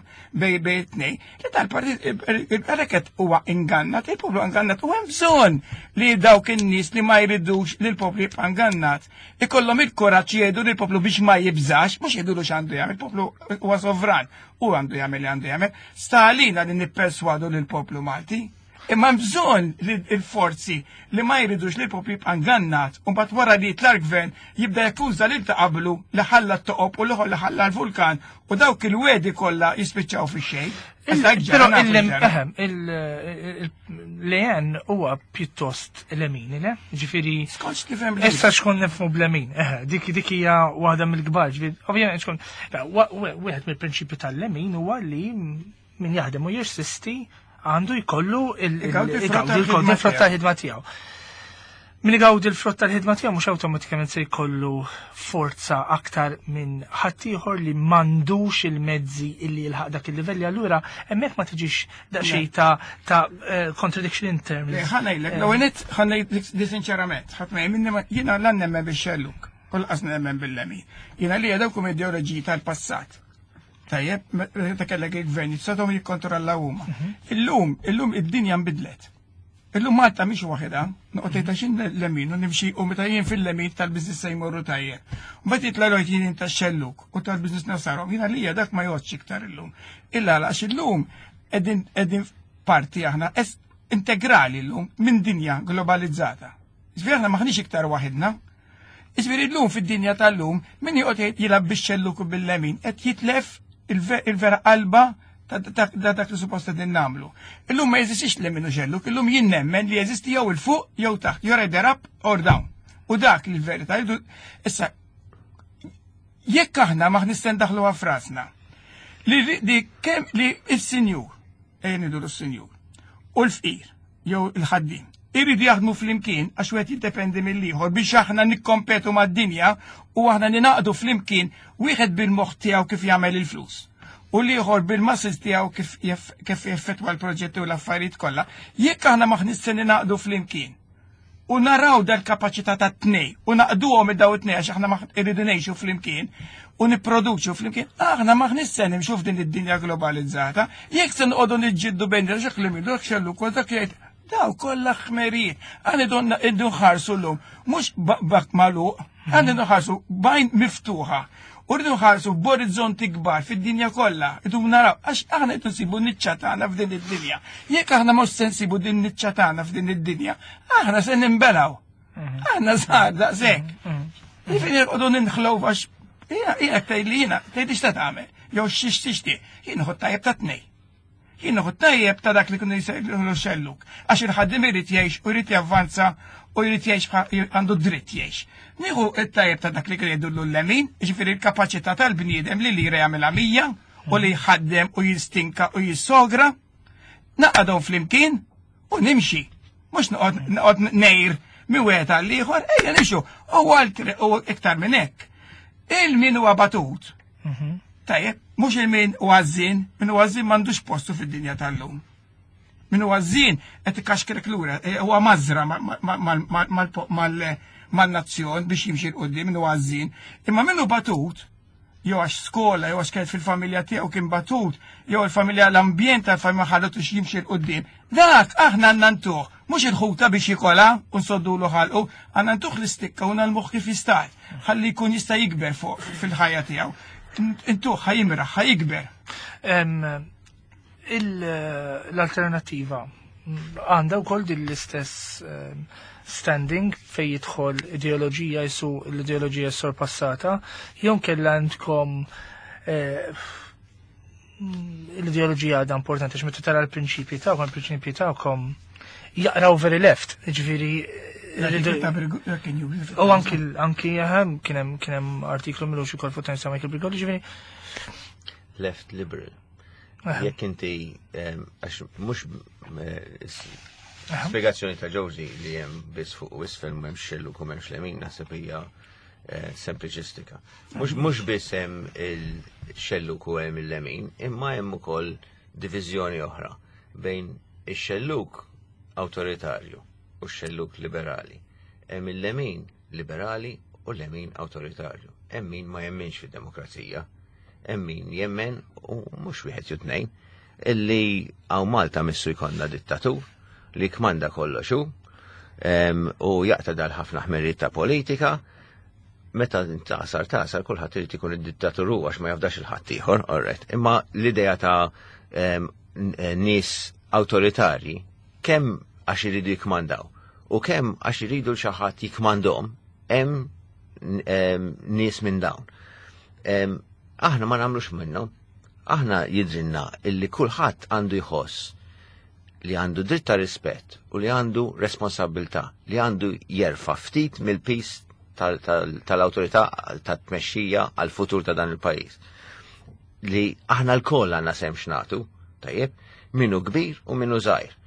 bej tnej, li tal-partit għalhekk huwa ingannat, il-poplu ingannat u hemm bżonn li dawk in-nies li ma jridux li l-poplu jibqa' ingannat, ikollhom il-kuraġġ jgħidu lill-poplu biex ma jibżax, mhux jgħidulu x'għandu jagħmel, il-poplu huwa sovran u għandu jagħmel li għandu jagħmel. Stalina li nipperswadu lill-poplu Malti. Imma hemm bżonn li l-forzi li ma jridux li l-poplu jibqa' ngannat u mbagħad wara li jitla' l-gvern jibda jakkuża lil ta' qablu li ħalla t-toqob u l-ieħor li ħalla l-vulkan u dawk il-wegħdi kollha jispiċċaw fix-xejn. Però l-EN huwa pjuttost lemini, le? Ġifieri. Skont x'tifhem Issa xkun nifhmu b'lemin, dik dik hija waħda mill-kbar, ġifieri ovvjament xkun wieħed mill-prinċipju tal-lemin huwa li min jaħdem u jirsisti għandu jkollu il-frott tal-ħidma tiegħu. Min igawdi l-frott tal-ħidma tiegħu mhux awtomatikament se jkollu forza aktar minn ħaddieħor li m'għandux il-mezzi illi jilħaq dak il-livelli allura hemmhekk ma tiġix daqsxejn ta' ta' eh, contradiction in terms. Ħa ngħidlek, l-ewwel nett ħa ngħidlek di sinċerament, ħadd ma jemminni jiena la nemmen bix-xelluk u lanqas nemmen bil-lemin. Jiena li dawk huma ideoloġiji tal-passat. Tajjeb, meta kellek il-gvern jistgħu jikkontrollaw huma. Mhm. Illum, illum id-dinja nbidlet. Illum Malta mhix waħedha, noqgħod tgħid għax lemin u nimxi u meta jien fil-lemin tal-biżness se jmorru tajjeb. Mbagħad jitla' jgħid jien tax-xelluk u tal-biżness nasarhom. Jiena lija dak ma jgħodx iktar illum. Illa għax illum qegħdin qegħdin parti aħna integrali llum minn dinja globalizzata. Ġifieri aħna maħniex iktar waħedna. Iġifieri llum fid-dinja tal-lum min joqgħod jilgħab bix-xelluk u bil-lemin qed jitlef il-vera qalba ta' dak li suppost qegħdin nagħmlu. Illum ma jeżistix lemin u xelluk, illum jien nemmen li jeżisti jew il fuq jew taħt, jew either up or down. U dak li l-verità issa jekk aħna ma nistgħu ndaħluha f'rasna li li kemm li s-sinjur, ejja ngħidu s-sinjur, u l-fqir jew il-ħaddiem iridu jaħdmu flimkien għax wieħed jiddependi mill-ieħor biex aħna nikkompetu mad-dinja u aħna ninaqdu flimkien wieħed bil-moħħ tiegħu kif jagħmel il-flus u l-ieħor bil-muscles tiegħu kif kif jeffettwa l-proġetti u l-affarijiet kollha. Jekk aħna maħniex se ninaqdu flimkien u naraw dal-kapaċità ta' tnej u naqduhom id-daw it-tnej għax aħna irridu ngħixu flimkien u nipproduċu flimkien, aħna maħniex se nimxu f'din id-dinja globalizzata, jekk se noqogħdu niġġieldu bejn dak li mindu dak xellu kol dak jgħid daw kollha ħmerijiet. Aħna donna iddu nħarsu llum, mhux bak magħluq, aħna nħarsu bajn miftuħa. U rridu nħarsu b'orizzonti kbar fid-dinja kollha. Rridu naraw għax aħna qed nsibu niċċa tagħna f'din id-dinja. Jekk aħna mhux se nsibu din niċċa tagħna f'din id-dinja, aħna se ninbelgħu. Mhm. Aħna żgħar daqshekk. Mhm. Jiġifieri nqogħdu ninħlow għax hija tgħid li jiena tgħid x'ta tagħmel jew x'ix tixtieq. Jien noħod tajjeb ta' tnej. Jien noħod tajjeb ta' dak li kienu jsejħlu xelluk. Għax il-ħaddim irid jgħix u jrid javvanza u jrid jgħix għandu dritt jgħix. Nieħu it-tajjeb ta' dak li kienu jgħidulu l-lemin, jiġifieri l-kapaċità tal-bniedem li lira jagħmilha 100 u li jħaddem u jistinka u jissogra. Naqadhom flimkien u nimxi. Mhux noqgħod nejr mi wieħed għal ieħor, ejja nimxu. U għal u iktar minn hekk. Il-min huwa batut. Mhm. Tajjeb, mhux il-min huwa għażżien, min huwa għażżien m'għandux postu fid-dinja tal-lum. Min huwa għażżien qed ikaxkrek lura, e, huwa mażra mal-nazzjon biex jimxi 'l quddiem min huwa għażżien. Imma min hu batut, jew għax skola, jew għax kienet fil-familja tiegħu kien batut, jew il-familja l-ambjent tal-familja ħallutux jimxi 'l quddiem. Dak aħna għandna ntuh, mhux il-ħuta biex jikolha u nsoddulu ħalqu, għandna ntuh l-istikka u nagħlmuh kif jista' ħalli jkun jista' jikber fuq fil-ħajja tiegħu. Intuh ħa jimraħ, ħa jikber. L-alternativa għandha wkoll din l-istess standing fej jidħol ideoloġija jisu l-ideoloġija sorpassata, jew kella għandkom eh, l-ideoloġija għadha importanti għax meta tara l-prinċipji tagħkom, il-prinċipji tagħkom jaqraw very left, ġifieri U anki anki ehm, kien hemm kien hemm artiklu mill ukoll fuq Times ta' Michael Brigoli, ġifieri. Left liberal. Jekk inti għax mhux eh, spjegazzjoni ta' Josie li hemm biss fuq u isfel m'hemmx xelluk u m'hemmx lemin naħseb hija eh, sempliċistika. Mhux biss hemm il-xelluk u hemm il-lemin, imma hemm ukoll diviżjoni oħra bejn ix-xelluk awtoritarju u x-xelluk liberali. Hemm il-lemin liberali u l-lemin awtoritarju. Hemm min ma jemminx fid-demokrazija Hemm min jemmen u mhux wieħed jew tnejn illi hawn Malta missu jkollna dittatur li kmanda kollox hu u jaqta' dal ħafna ħmerijiet ta' politika meta tasar tasar kulħadd irid ikun id-dittatur hu għax ma jafdax il-ħadd ieħor, alright. Imma l-idea ta' nies awtoritarji. Kemm għax iridu jikmandaw u kemm għax iridu l xi ħadd jikmandhom hemm nies minn dawn. Aħna ma nagħmlux minnhom. Aħna jidrinna illi kulħadd għandu jħoss li għandu dritt ta' rispett u li għandu responsabilità, li għandu jerfa' ftit mill-pis tal-awtorità tat-tmexxija għal-futur ta' dan il-pajjiż. Li aħna lkoll għandna sehem x'nagħtu, tajjeb, minnu kbir u minnu żgħir.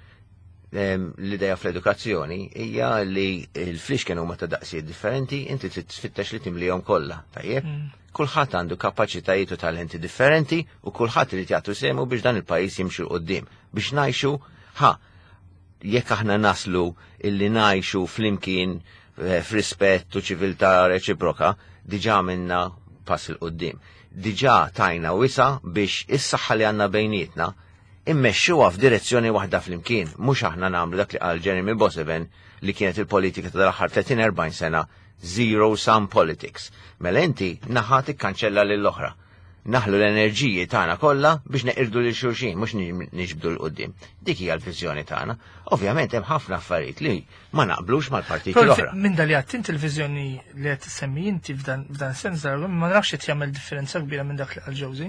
L-idea fl-edukazzjoni hija li l-flixken huma ta' daqsijiet differenti, inti trid tfittex li timlihom kollha, tajjeb? Kulħadd għandu kapaċitajiet u talenti differenti u kulħadd irid jagħtu sehmu biex dan il-pajjiż jimxi 'l quddiem, biex ngħixu ħa jekk aħna naslu illi ngħixu flimkien eh, f'rispett u ċiviltà reċiproka, diġà għamilna pass 'il quddiem. Diġà tajna wisa' biex is-saħħa li għandna bejnietna immexxuha f'direzzjoni waħda flimkien, mhux aħna nagħmlu dak li qal Jeremy Boseven li kienet il-politika tal-aħħar 30-40 sena zero sum politics. Mela inti naħa tikkanċella lill-oħra. Naħlu l-enerġiji tagħna kollha biex neqirdu lil xulxin, mhux niġbdu 'l quddiem. Dik hija l-viżjoni tagħna. Ovvjament hemm ħafna affarijiet li ma naqblux mal-partiti l-oħra. Minn dal li inti l-viżjoni li qed tissemmi inti f'dan sens ma nafx qed jagħmel differenza kbira minn dak li qal Josie.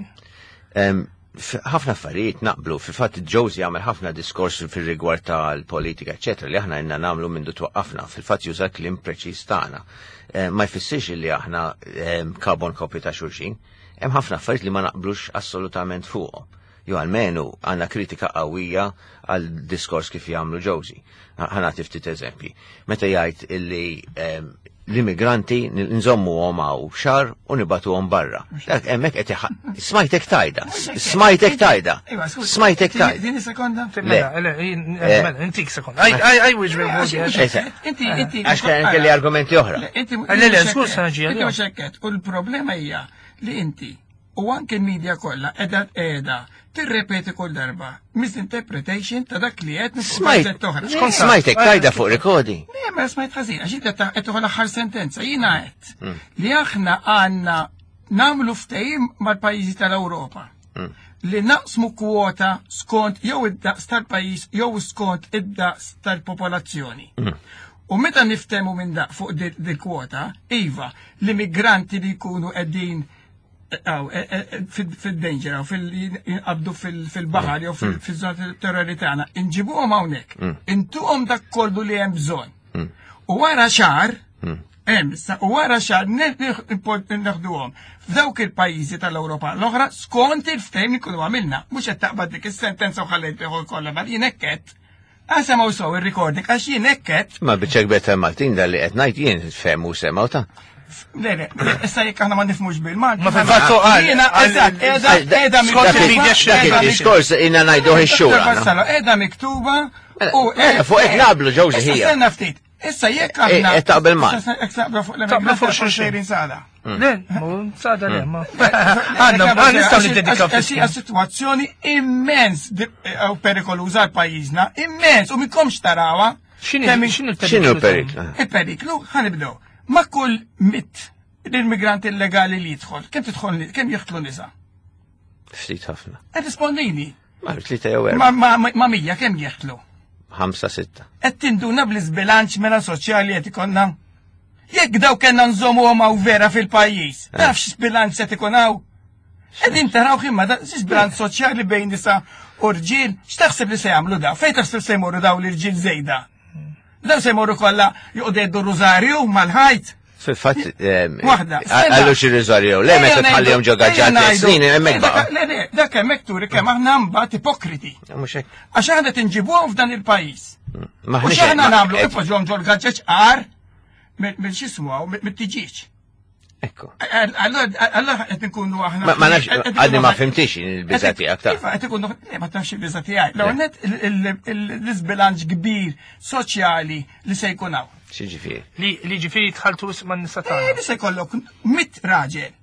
Ħafna affarijiet naqblu, fil-fatt Josie jagħmel ħafna diskors fir-rigward tal-politika, eċetera, li aħna inna nagħmlu minn twaqqafna, fil-fatt juża kliem preċiż tagħna. Eh, ma jfissirx li aħna eh, carbon copy ta' xulxin. Hemm ħafna affarijiet li ma naqblux assolutament fuqhom. Jew almenu għandna kritika qawwija għal diskors kif jagħmlu Josie. Ħa nagħti ftit eżempji. Meta jgħid illi eh, l-immigranti nżommuhom hawn xahar u nibagħtuhom barra. Dak hemmhekk qed smajtek tajda, smajtek tajda, smajtek tajda. Din sekonda? Mela, eh, mela, intik sekonda. Aj, aj, aj, Inti, inti. Għax kien kelli argumenti oħra. Le, le, skur sa ġi. Inti mhux U l-problema hija li inti u anke l-media kollha qiegħda qiegħda tirrepeti kull darba misinterpretation ta' dak li qed Smajt, smajtek tajda fuq recording. Le, ma smajt ħażin, għax inti qed tieħu l-aħħar sentenza. Jiena qed hmm. li aħna għandna nagħmlu ftehim mal-pajjiżi tal-Ewropa hmm. li naqsmu kwota skont jew id-daqs tal-pajjiż jew skont id-daqs tal-popolazzjoni. Hmm. U meta niftemu minn daq fuq dil-kwota, iva, l-immigranti li jkunu qegħdin E, e, e, fil-danger, fil-jinqabdu fil-bahar jew mm. fil-żona terrori tagħna, inġibuhom hawnhekk, mm. intuhom dak kollu li hemm bżonn. Mm. U wara xahar, hemm u wara xahar neħduhom f'dawk il-pajjiżi tal-Ewropa l-oħra skont il-ftehim li kunu għamilna, mhux qed taqbad dik is-sentenza u ħallejt kollha, ma jien hekk Għasemaw sew il-recording, għax jien hekk Ma biċċa kbir ta' Maltin dal li qed ngħid jien fehmu semgħu ta' Le, le, issa jekk aħna ma nifhmux bil-Malti. Ma fil-fatt qal. Jiena eżatt, qiegħda qiegħda miktuba. Dak il-diskors jiena ngħiduh ix-xhur. Qiegħda miktuba u mela, fuq hekk naqblu ġewġi ħija. Stenna ftit. Issa jekk eh, aħna. Eh, taqbel ma. Jekk taqbel fuq l fuq xulxin sada. Mm. Le, sada le, ma. Għandna, ma nistgħu niddedikaw. Hija sitwazzjoni immens eh, u perikoluża għal pajjiżna, immens u mikomx tarawha. X'inhu l-periklu? Il-periklu ħanibdew. Ma kull mit l-immigranti illegali li jidħol, kemm tidħol kemm jidħlu nisa? Ftit ħafna. Qed rispondini. Ma tlieta jew erba'. Ma mija kemm jeħtlu? Ħamsa sitta. Qed tinduna bl-iżbilanċ mela soċjali qed ikollna? Jekk daw kellna nżommuhom hawn vera fil-pajjiż, eh. taf x'bilanċ qed ikun hawn? Qegħdin taraw imma da x'bilanċ soċjali bejn nisa u rġiel, x'taħseb li se jagħmlu daw? Fejn taħseb se jmorru daw l-irġiel żejda? Daw se jmorru kollha joqogħdu jgħidu rużarju mal-ħajt. Fil-fatt, waħda. Għallu xi rużarju, le meta tħallihom ġo gaġġat snin hemmhekk baqa'. Le, le, dak hemmhekk turi kemm aħna mbagħad ipokriti. Mhux hekk. Għax aħna tinġibuhom f'dan il-pajjiż. Mm. U x'aħna nagħmlu ipoġġhom ġol gaġġeġ qar mill x'ismu mit-tiġiġ. Ekku. Allora qed nkunu aħna. Ma nafx, għadni ma fimtix il-biża tiegħek ta' Iva, qed ikunu ma tafx il-biża tiegħi. L-ewwel net l-iżbilanċ kbir soċjali li se jkun hawn. X'jiġifieri? Li ġifieri tħaltu man nisa tagħna. Eh, li se jkollok mit raġel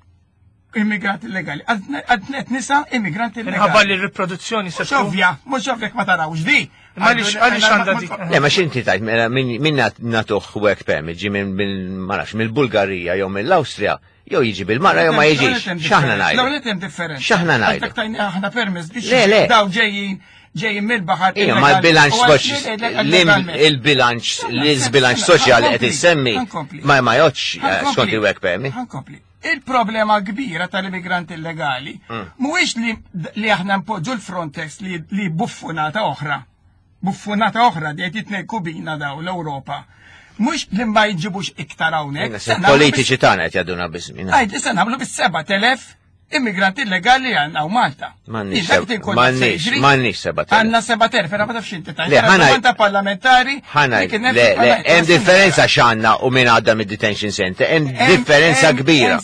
immigranti illegali, għad nisa immigranti illegali. Minħabba li r-riproduzzjoni se tkun. Ovvja, mhux ovvja ma tarawx di. Għaliex għandha dik. Le, ma x'inti tajt, mela, min natuh work permit ġi minn ma nafx mill-Bulgarija jew mill-Awstrija, jew jiġi bil-mara jew ma jiġix. X'aħna ngħidu? L-ewwel hemm differenza. X'aħna ngħidu? Aħna permess biex daw ġejjin. ġejjin mill-baħar. Ija, ma l-bilanċ il-bilanċ, l-izbilanċ soċjali qed issemmi ma jgħodx eh, skont il-work permit. Ħankompli. Il-problema kbira tal-immigranti illegali mhuwiex li aħna npoġġu l-Frontex li buffunata oħra. Buffunata oħra li qed jitnejku bina daw l-Ewropa. Mhux li ma jġibux iktar hawnhekk. Politiċi tagħna qed jgħadduna biss. Għid, issa nagħmlu bis-7000 immigranti illegali għandna u Malta. M'għandniex, m'għandniex 7000. Għandna 7000, però ma tafx inti tajt. Ħana parlamentari. Ħana, le, le, hemm differenza x'għandna u min għadda mid-detention center, hemm differenza kbira.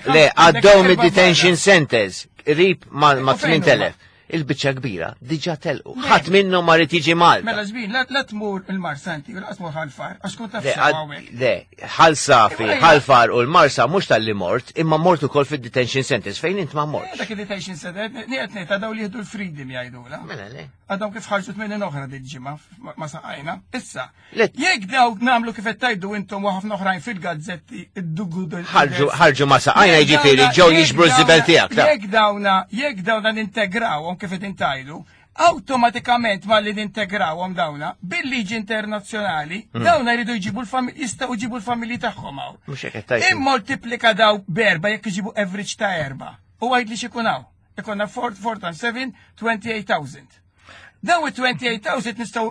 Le, għaddew mid-detention centers, qrib ma' 8000. Il-biċċa kbira diġà telqu. Ħadd minnhom ma rid jiġi Malta. Mela żbin, la tmur il-Marsa inti, la tmur ħalfar, għax kont taf hawnhekk. Le, ħal safi, ħalfar u l-Marsa mhux tal-li mort, imma mort ukoll fid-detention centers fejn int ma mort. Dak il-detention center, nieqed ngħid daw li jieħdu l-freedom jgħidula. Mela le. Għadhom kif ħarġu tmenin oħra dil-ġimgħa ma saqajna. Issa, Jekk dawk nagħmlu kif qed tgħidu intom u ħafna oħrajn fil-gazzetti id-dugu Ħarġu ma saqajna jiġifieri ġew jiġbru ż-żibel tiegħek. Jekk dawna, jekk dawna nintegrawhom kif qed intajdu, awtomatikament malli nintegrawhom dawna bil-liġi internazzjonali, hmm. dawna jridu jġibu l-familji, jistgħu jġibu l-familji tagħhom hawn. Mhux hekk qed tgħid. Immoltiplika daw b'erba' jekk iġibu average ta' erba'. U għid li x'ikun hawn. Ikonna 4 times 7, 28,000. Daw it-28,000 nistgħu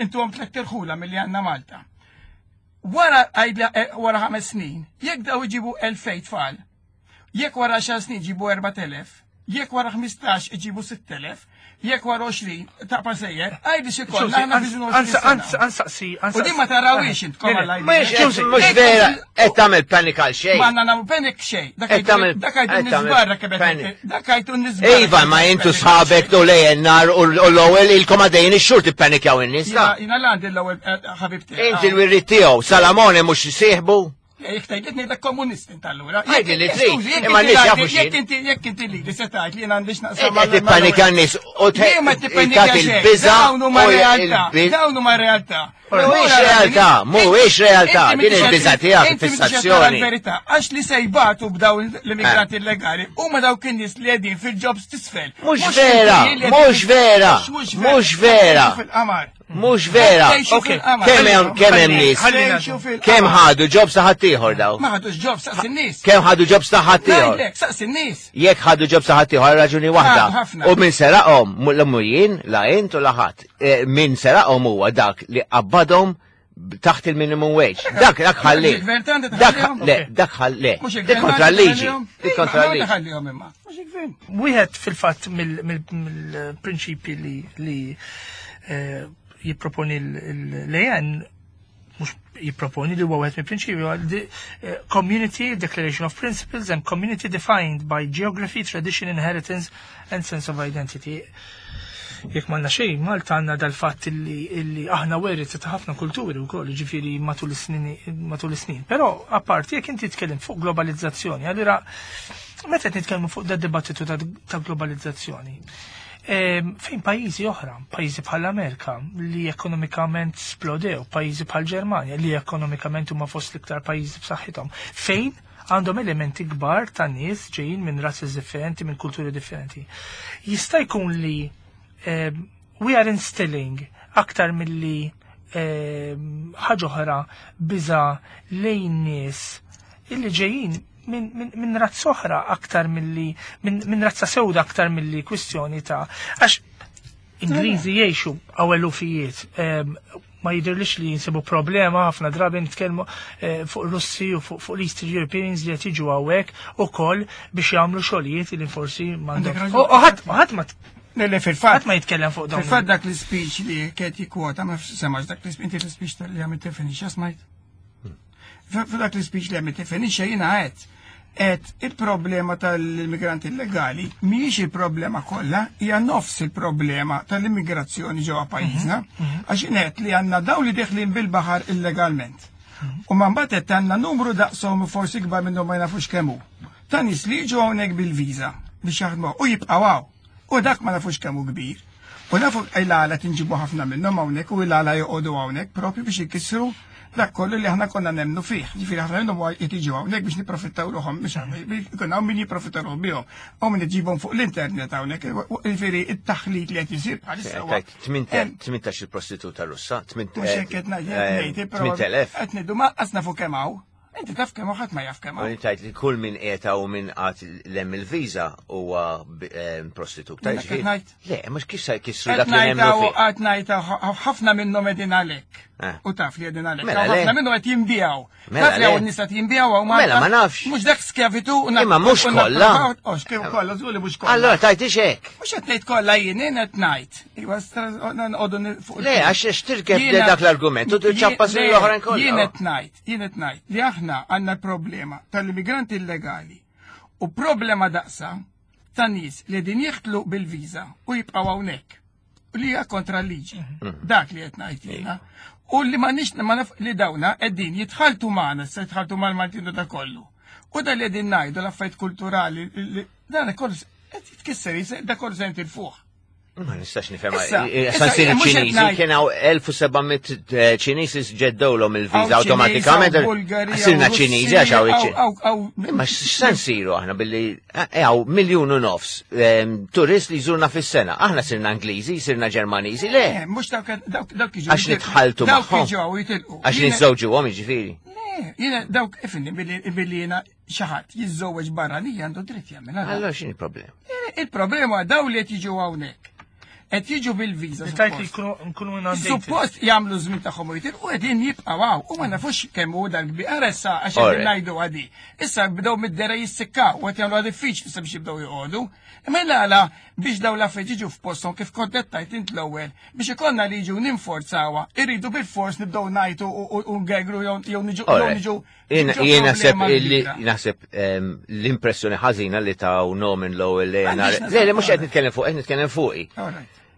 intuhom tliet irħula milli għandna Malta. Wara eh, wara ħames snin, jekk daw iġibu 2000 tfal, jekk wara 10 snin ġibu 4000, jekk wara 15 iġibu 6000, jekk wara 20 ta' sejjer, għajdi xi kollha aħna fi Ansaqsi, U din ma tarawix intkom għal Mhux vera, qed tagħmel panic għal xejn. Ma għandna nagħmlu panic xejn. Dak għajdu nisbarra kebet. Dak għajdu nisbarra. Iva, ma intu sħabek tu lejn nar u l-ewwel ilkom għadejn ix-xhur tippanikjaw in-nies. Jiena l-għandi l-ewwel eh, ħabibti. Inti l-wirrit tiegħu, Salamone mhux sieħbu. Jek tgħid ngħidlek komunist int allura. Għidli li trid. Imma nies jafu xi. Jekk inti jekk inti li li se tgħid li jien għandix naqsam. Qed tippanika n-nies u tagħti il-biża' Dawn huma realtà. Dawn huma realtà. Mhuwiex realtà, mhuwiex realtà. Din il-biża' tiegħek fissazzjoni. Verità, għax li se jbatu b'dawn l-immigranti illegali huma dawk in-nies li qegħdin fil-jobs tisfel. Mhux vera, mhux vera, mhux vera. Mhux vera. Kemm hemm kemm hemm nies. Kemm ħadu ġobs ta' ħaddieħor daw. Ma ħadux ġobs saqs in-nies. Kemm ħadu ġobs ta' ħaddieħor. Saqs in-nies. Jekk ħadu ġobs ta' ħaddieħor raġuni waħda. U min seraqhom l jien la int u la ħadd. Eh, min seraqhom huwa dak li qabbadhom taħt il-minimum wage. Dak dak ħalli. Dak le, dak ħalli. Dik kontra l-liġi. Dik kontra l-liġi. Wieħed fil-fatt mill-prinċipji li eh, jipproponi l-AN mux jipproponi li huwa wieħed mill-prinċipji eh, Community Declaration of Principles and Community Defined by Geography, Tradition, Inheritance and Sense of Identity. Jekk m'għandna xejn, Malta għandna dal-fatt illi aħna werit ta' ħafna kulturi wkoll, ġifieri matul is-snin. Però apparti jekk inti tkellem fuq globalizzazzjoni, allura meta qed nitkellmu fuq da dibattitu ta' globalizzazzjoni, ehm, fejn pajjiżi oħra, pajjiżi bħal Amerika li ekonomikament splodew, pajjiżi bħal Ġermanja li ekonomikament huma fost l-iktar pajjiżi b'saħħithom, fejn għandhom elementi kbar ta' nies ġejjin minn razzi differenti, minn kulturi differenti. Jista' jkun li eh, we are instilling aktar milli eh, ħaġa oħra biża lejn nies illi ġejjin minn min, min razza oħra aktar milli minn min razza sewda aktar milli kwistjoni ta' għax Ingliżi jgħixu għaw elufijiet eh, ma jidhirlix li jinsibu problema ħafna drabi nitkellmu eh, fuq Russi u fuq l-Eastern Europeans li qed jiġu hawnhekk ukoll biex jagħmlu xogħlijiet li forsi m'għandhom. U ħadd ma Le, fil-fatt. ma jitkellem fuq dawn. Fil-fatt dak l-speech li kien jikkwota, ma semax dak l-speech, inti l-speech li għamilt tifinisha smajt. F'dak l-speech li għamilt tifinisha jiena għedt Et il-problema tal-immigranti illegali mhijiex il-problema kollha, hija nofs il-problema tal-immigrazzjoni ġewwa pajjiżna, mhm, mhm. għax inet li għandna dawn li deħlin bil-baħar illegalment. Mhm. U ma mbagħad qed għandna numru daqshom forsi kbar minnhom ma jnafux kemm hu. Ta' nies li jiġu hawnhekk bil-viża biex jaħdmu u jibqgħu hawn. U dak ma nafux kemm hu kbir. U nafu il-għala tinġibu ħafna minnhom hawnhekk u il-għala joqogħdu hawnhekk propju biex ikissru. dak kollu li aħna konna nemmnu fih. Ġifieri ħafna minnhom huwa qed jiġu hawnhekk biex nipprofittaw ruħhom biex ikun hawn min jipprofitta ruħhom bihom. Hawn min iġibhom fuq l-internet hawnhekk. Ġifieri it-taħlit li qed isir bħalissa huwa. 18 il-prostituta Russa, 8000. Mhux hekk qed ngħid, però qed ngħidu ma qas nafu kemm hawn. Inti taf kemm ħadd ma jaf kemm. U tajt li kull min qiegħed u min qatt lem il-viża huwa prostitut. Le, mhux kif se jkissru dak li nemmnu fih. Qed ngħid ħafna minnhom qegħdin għalhekk. Eh. U taf li qegħdin għalhekk. Mela ħafna minnhom qed jinbijaw. Mela taf li hawn nies qed jinbijaw hawn Mela ma nafx. Mhux dak skjavitu u Imma mhux kollha. Ox kif kollha żgur li mhux kollha. Allora tajtix hekk. Mhux qed ngħid kollha jien qed ngħid. Iva nqogħdu fuq. Le, għax tirkeb dak l-argument u ċappas l-oħrajn kollha. Jien qed ngħid. Jien qed ngħid li aħna għandna problema tal-immigranti illegali u problema daqsa ta' nies li din jiħtlu bil-viża u jibqgħu hawnhekk li hija kontra l-liġi. Mhm. Dak li qed ngħid jiena. U li ma nix ma naf li dawna qegħdin jitħaltu magħna, se jitħaltu mal-Maltin u da kollu. U da li qegħdin ngħidu l-affarijiet kulturali, dan kollu qed jitkisser, da kollu se jintilfuh. Ma nistax nifhem. Sa nsiru Ċiniżi kien hawn 1700 eh, Ċiniżi ġeddewlhom il-viża awtomatikament. Sirna Ċiniżi għax hawn iċ Imma x'se nsiru aħna billi eh, eh, hawn miljun u nofs ehm, turist li jżurna fis-sena. Aħna sirna Ingliżi, sirna Ġermaniżi, le. Mhux dawk dawk jiġu. Għax nitħaltu magħhom. Dawk jiġu jitilqu. Għax niżżewġuhom jiġifieri. Le, jiena dawk ifni billi jiena xi ħadd jiżżewweġ barranija għandu dritt jagħmel. Allora x'inhi problema? Eh, il-problema daw li qed jiġu hawnhekk. Qed jiġu bil-viża. Tajt li nkunu Suppost jagħmlu żmien tagħhom u jitilqu qegħdin jibqgħu hawn u ma nafux kemm hu dal-kbir. Ara issa għax qegħdin ngħidu għadi. Issa bdew mid-dera jissikkaw u qed jagħmlu diffiċli sabiex jibdew joqogħdu. Imma għala biex daw l-affarijiet jiġu f'posthom kif kont qed tajt int l-ewwel biex ikollna liġi u ninforzawa, irridu bil-fors nibdew ngħidu u ngegru jew niġu niġu Jien naħseb li naħseb ehm, l-impressjoni ħażina li taw Norman Lowell li Le, le mhux qed nitkellem fuq, qed nitkellem fuqi.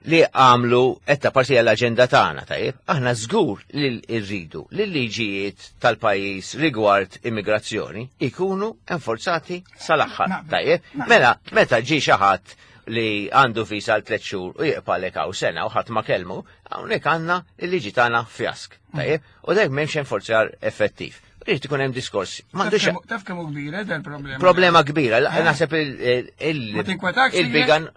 Li għamlu qed ta' parti l-aġenda tagħna, tajjeb, aħna żgur li rridu li l-liġijiet tal-pajjiż rigward immigrazzjoni ikunu enforzati sal-aħħar, tajjeb. Mela, meta ġie xi ħadd li għandu visa għal tliet xhur u jibqalek hawn sena u ħadd ma kellmu, hawnhekk għandna l-liġi tagħna fjask. Tajjeb, u dak m'hemmx enforzjar effettiv. Irid ikun hemm diskors. M'għandux Taf kemm hu kbira eh, problema. Problema kbira, eh? naħseb il-bigan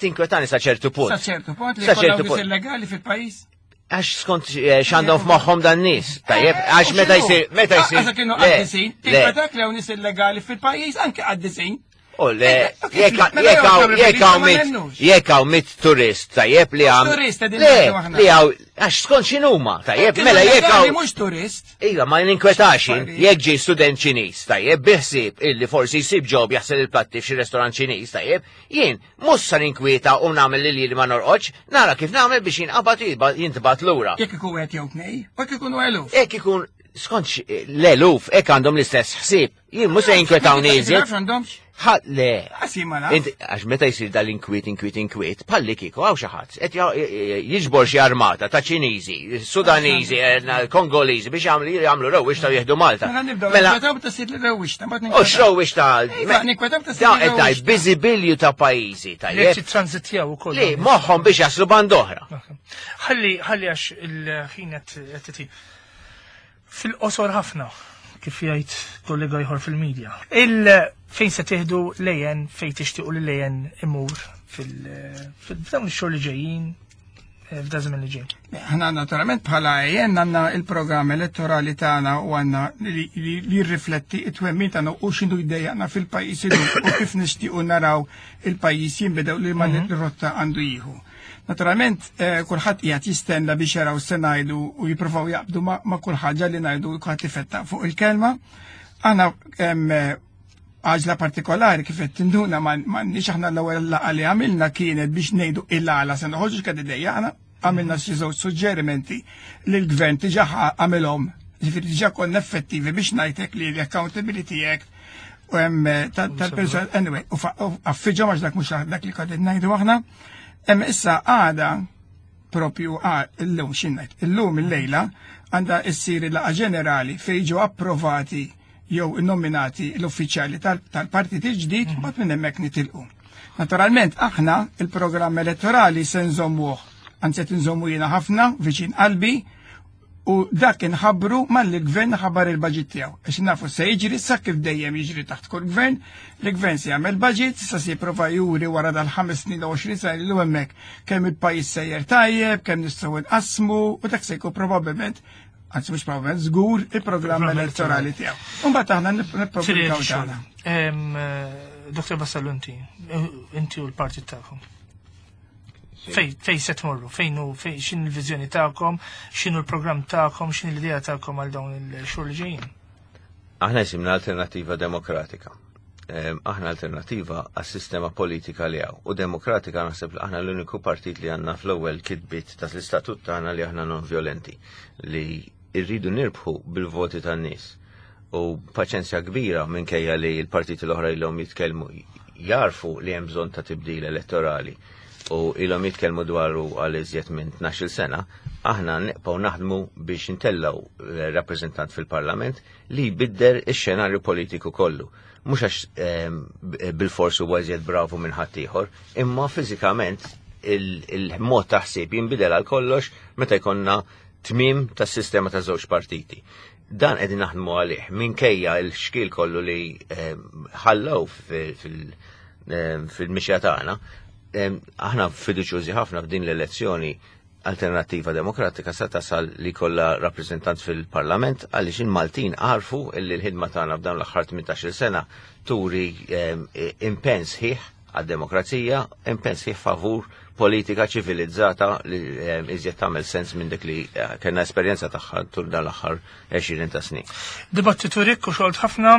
tinkwetani sa ċertu punt. Sa ċertu punt li ċertu punt. illegali fil-pajjiż. Għax skont eh, x'għandhom f'moħħhom dan nies. Tajjeb, għax meta jsir, meta jsir. Għax kienu qaddisin, tinkwetak li hawn nies illegali fil-pajjiż anke qaddisin. U le, jekk hawn mit turist, tajjeb li għam. Turist, Le, li hawn, għax skont x'inhuma, tajjeb, mela jekk hawn. Mhux turist. Iva, ma ninkwetax jekk ġie student Ċiniż, tajjeb, biħsib illi forsi jsib ġob jaħsel il-platti f'xi restorant Ċiniż, tajjeb, jien mhux sa ninkwieta u nagħmel li li ma norqodx, nara kif nagħmel biex jinqabad jintbagħat lura. Jekk ikun wieħed jew tnej, u jekk ikunu eluf. Jekk ikun skont l-eluf, hekk għandhom l-istess ħsieb. Jien mhux se jinkwetawni iżjed. Ħadd le. Għax meta jsir dal-inkwiet, inkwiet, inkwiet, palli kieku hawn xi ħadd qed jiġbor xi armata ta' Ċiniżi, Sudaniżi, eh, Kongoliżi biex jagħmlu jagħmlu rewwixta u jieħdu Malta. Mela nibdew mela ta' sid rewwixta, U x'rewwixta? Iva, ninkwetaw ta' sid qed ngħid biżibilju ta' pajjiżi tajjeb. Jekk tranzitjaw ukoll. Li moħħhom biex jaslu band oħra. Ħalli ħalli għax il-ħin qed Fil-qosor ħafna, kif jgħid kollega ieħor fil-media. Il fejn se tieħdu lejn fejn tixtiequ li lejn imur fil-dawn ix-xhur li ġejjin eh, f'da żmien li ġej. Aħna naturalment bħala AN għandna il-programm elettorali tagħna u għandna li jirrifletti it-twemmin tagħna u x'inhu jdejjaqna fil-pajjiż u kif nixtiequ naraw il-pajjiż jinbidel li ma mhm. rotta għandu jieħu. Naturalment, eh, kulħadd qiegħed jistenna biex jaraw se ngħidu u jippruvaw jaqbdu ma' kull ħaġa li ngħidu kulħadd ifettaq fuq il-kelma. Aħna eh, għaġla partikolari kif qed tinduna m'għandniex aħna l-ewwel laqgħa li għamilna kienet biex ngħidu il-għala se noħorġu x'kien idejjaqna għamilna xi żewġ suġġerimenti li l-gvern diġà għamilhom, ġifieri diġà konna effettivi biex ngħidlek li l-Accountability Act u hemm eh, tal-persuna anyway, u affiġhom għax dak mhux dak li qegħdin ngħidu aħna. Hemm issa għada propju illum x'ingħid, illum illejla għandha ssir il-laqgħa ġenerali fejn jiġu approvati jew nominati l-uffiċjali tal-partit il-ġdid mhm. mbagħad minn hemmhekk nitilqu. Naturalment aħna il-programm elettorali se nżommuh, anzi qed nżommu jiena ħafna viċin qalbi. U dak inħabbru malli l-gvern ħabbar il-budget tiegħu. Għax nafu se jiġri sa kif dejjem jiġri taħt kull gvern, l-gvern se jagħmel budget, sa se jipprova juri wara dal-ħames snin u 20 sena li hemmhekk kemm il-pajjiż sejjer tajjeb, kemm nistgħu nqassmu u dak se jkun probabbilment anzi mhux probabbilment żgur il-programm elettorali tiegħu. U mbagħad aħna nippubblikaw tagħna. Dr. Vassallo inti, inti u l-partit tagħkom. Fej se tmorru, fejn hu fej x'in il-viżjoni tagħkom, x'inhu l-programm tagħkom, x'in l-idea tagħkom għal dawn il-xhur li ġejjin. Aħna jisimna Alternativa Demokratika. Aħna alternativa għas-sistema politika li hawn. U demokratika naħseb li aħna l-uniku partit li għandna fl-ewwel kitbiet ta' l-istatut tagħna li aħna non violenti li rridu nirbħu bil-voti tan-nies. U paċenzja kbira minkejja li l-partiti l-oħra ilhom jitkellmu jarfu li hemm bżonn ta' tibdil elettorali u ilhom jitkellmu dwaru għal iżjed minn 12 sena, aħna nibqgħu naħdmu biex intellgħu rappreżentant fil-Parlament li jbidder ix-xenarju politiku kollu. Mhux għax bil-forsu huwa iżjed bravu minn ħaddieħor, imma fiżikament il-mod ta' ħsieb jinbidel għal kollox meta jkollna tmiem tas-sistema ta' żewġ partiti. Dan qegħdin naħdmu għalih minkejja l-xkil kollu li ħallew fil-mixja tagħna. Aħna fiduċjużi ħafna f'din l-elezzjoni Alternattiva Demokratika sa tasal li kollha rappreżentant fil-Parlament għaliex il-Maltin għarfu li l-ħidma tagħna f'dawn l-aħħar 18-il sena turi impenn sħiħ għad-demokrazija, impenn sħiħ favur politika ċivilizzata li iżjed tagħmel sens minn dik li kellna esperjenza tagħha tul dan l-aħħar 20 ta' snin. Dibattitu rikk u xolt ħafna,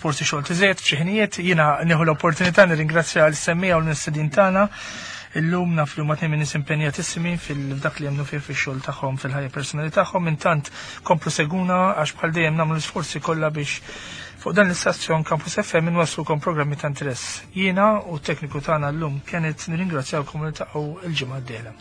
forsi xolt iżjed f'xi ħinijiet, jiena nieħu l-opportunità nirringrazzja l-semmija u l-mistedin tagħna. Illum naf li huma tnejn minn nies impenjatissimi fil-dak li jemmnu fih fix-xogħol tagħhom fil-ħajja personali tagħhom. Intant komplu seguna għax bħal dejjem nagħmlu l-isforzi kollha biex fuq dan l-istazzjon Campus FM inwasslukom programmi ta' interess. Jiena u t-tekniku tagħna llum Kenneth nirringrazzjawkom u niltaqgħu l-ġimgħa d-dieħla.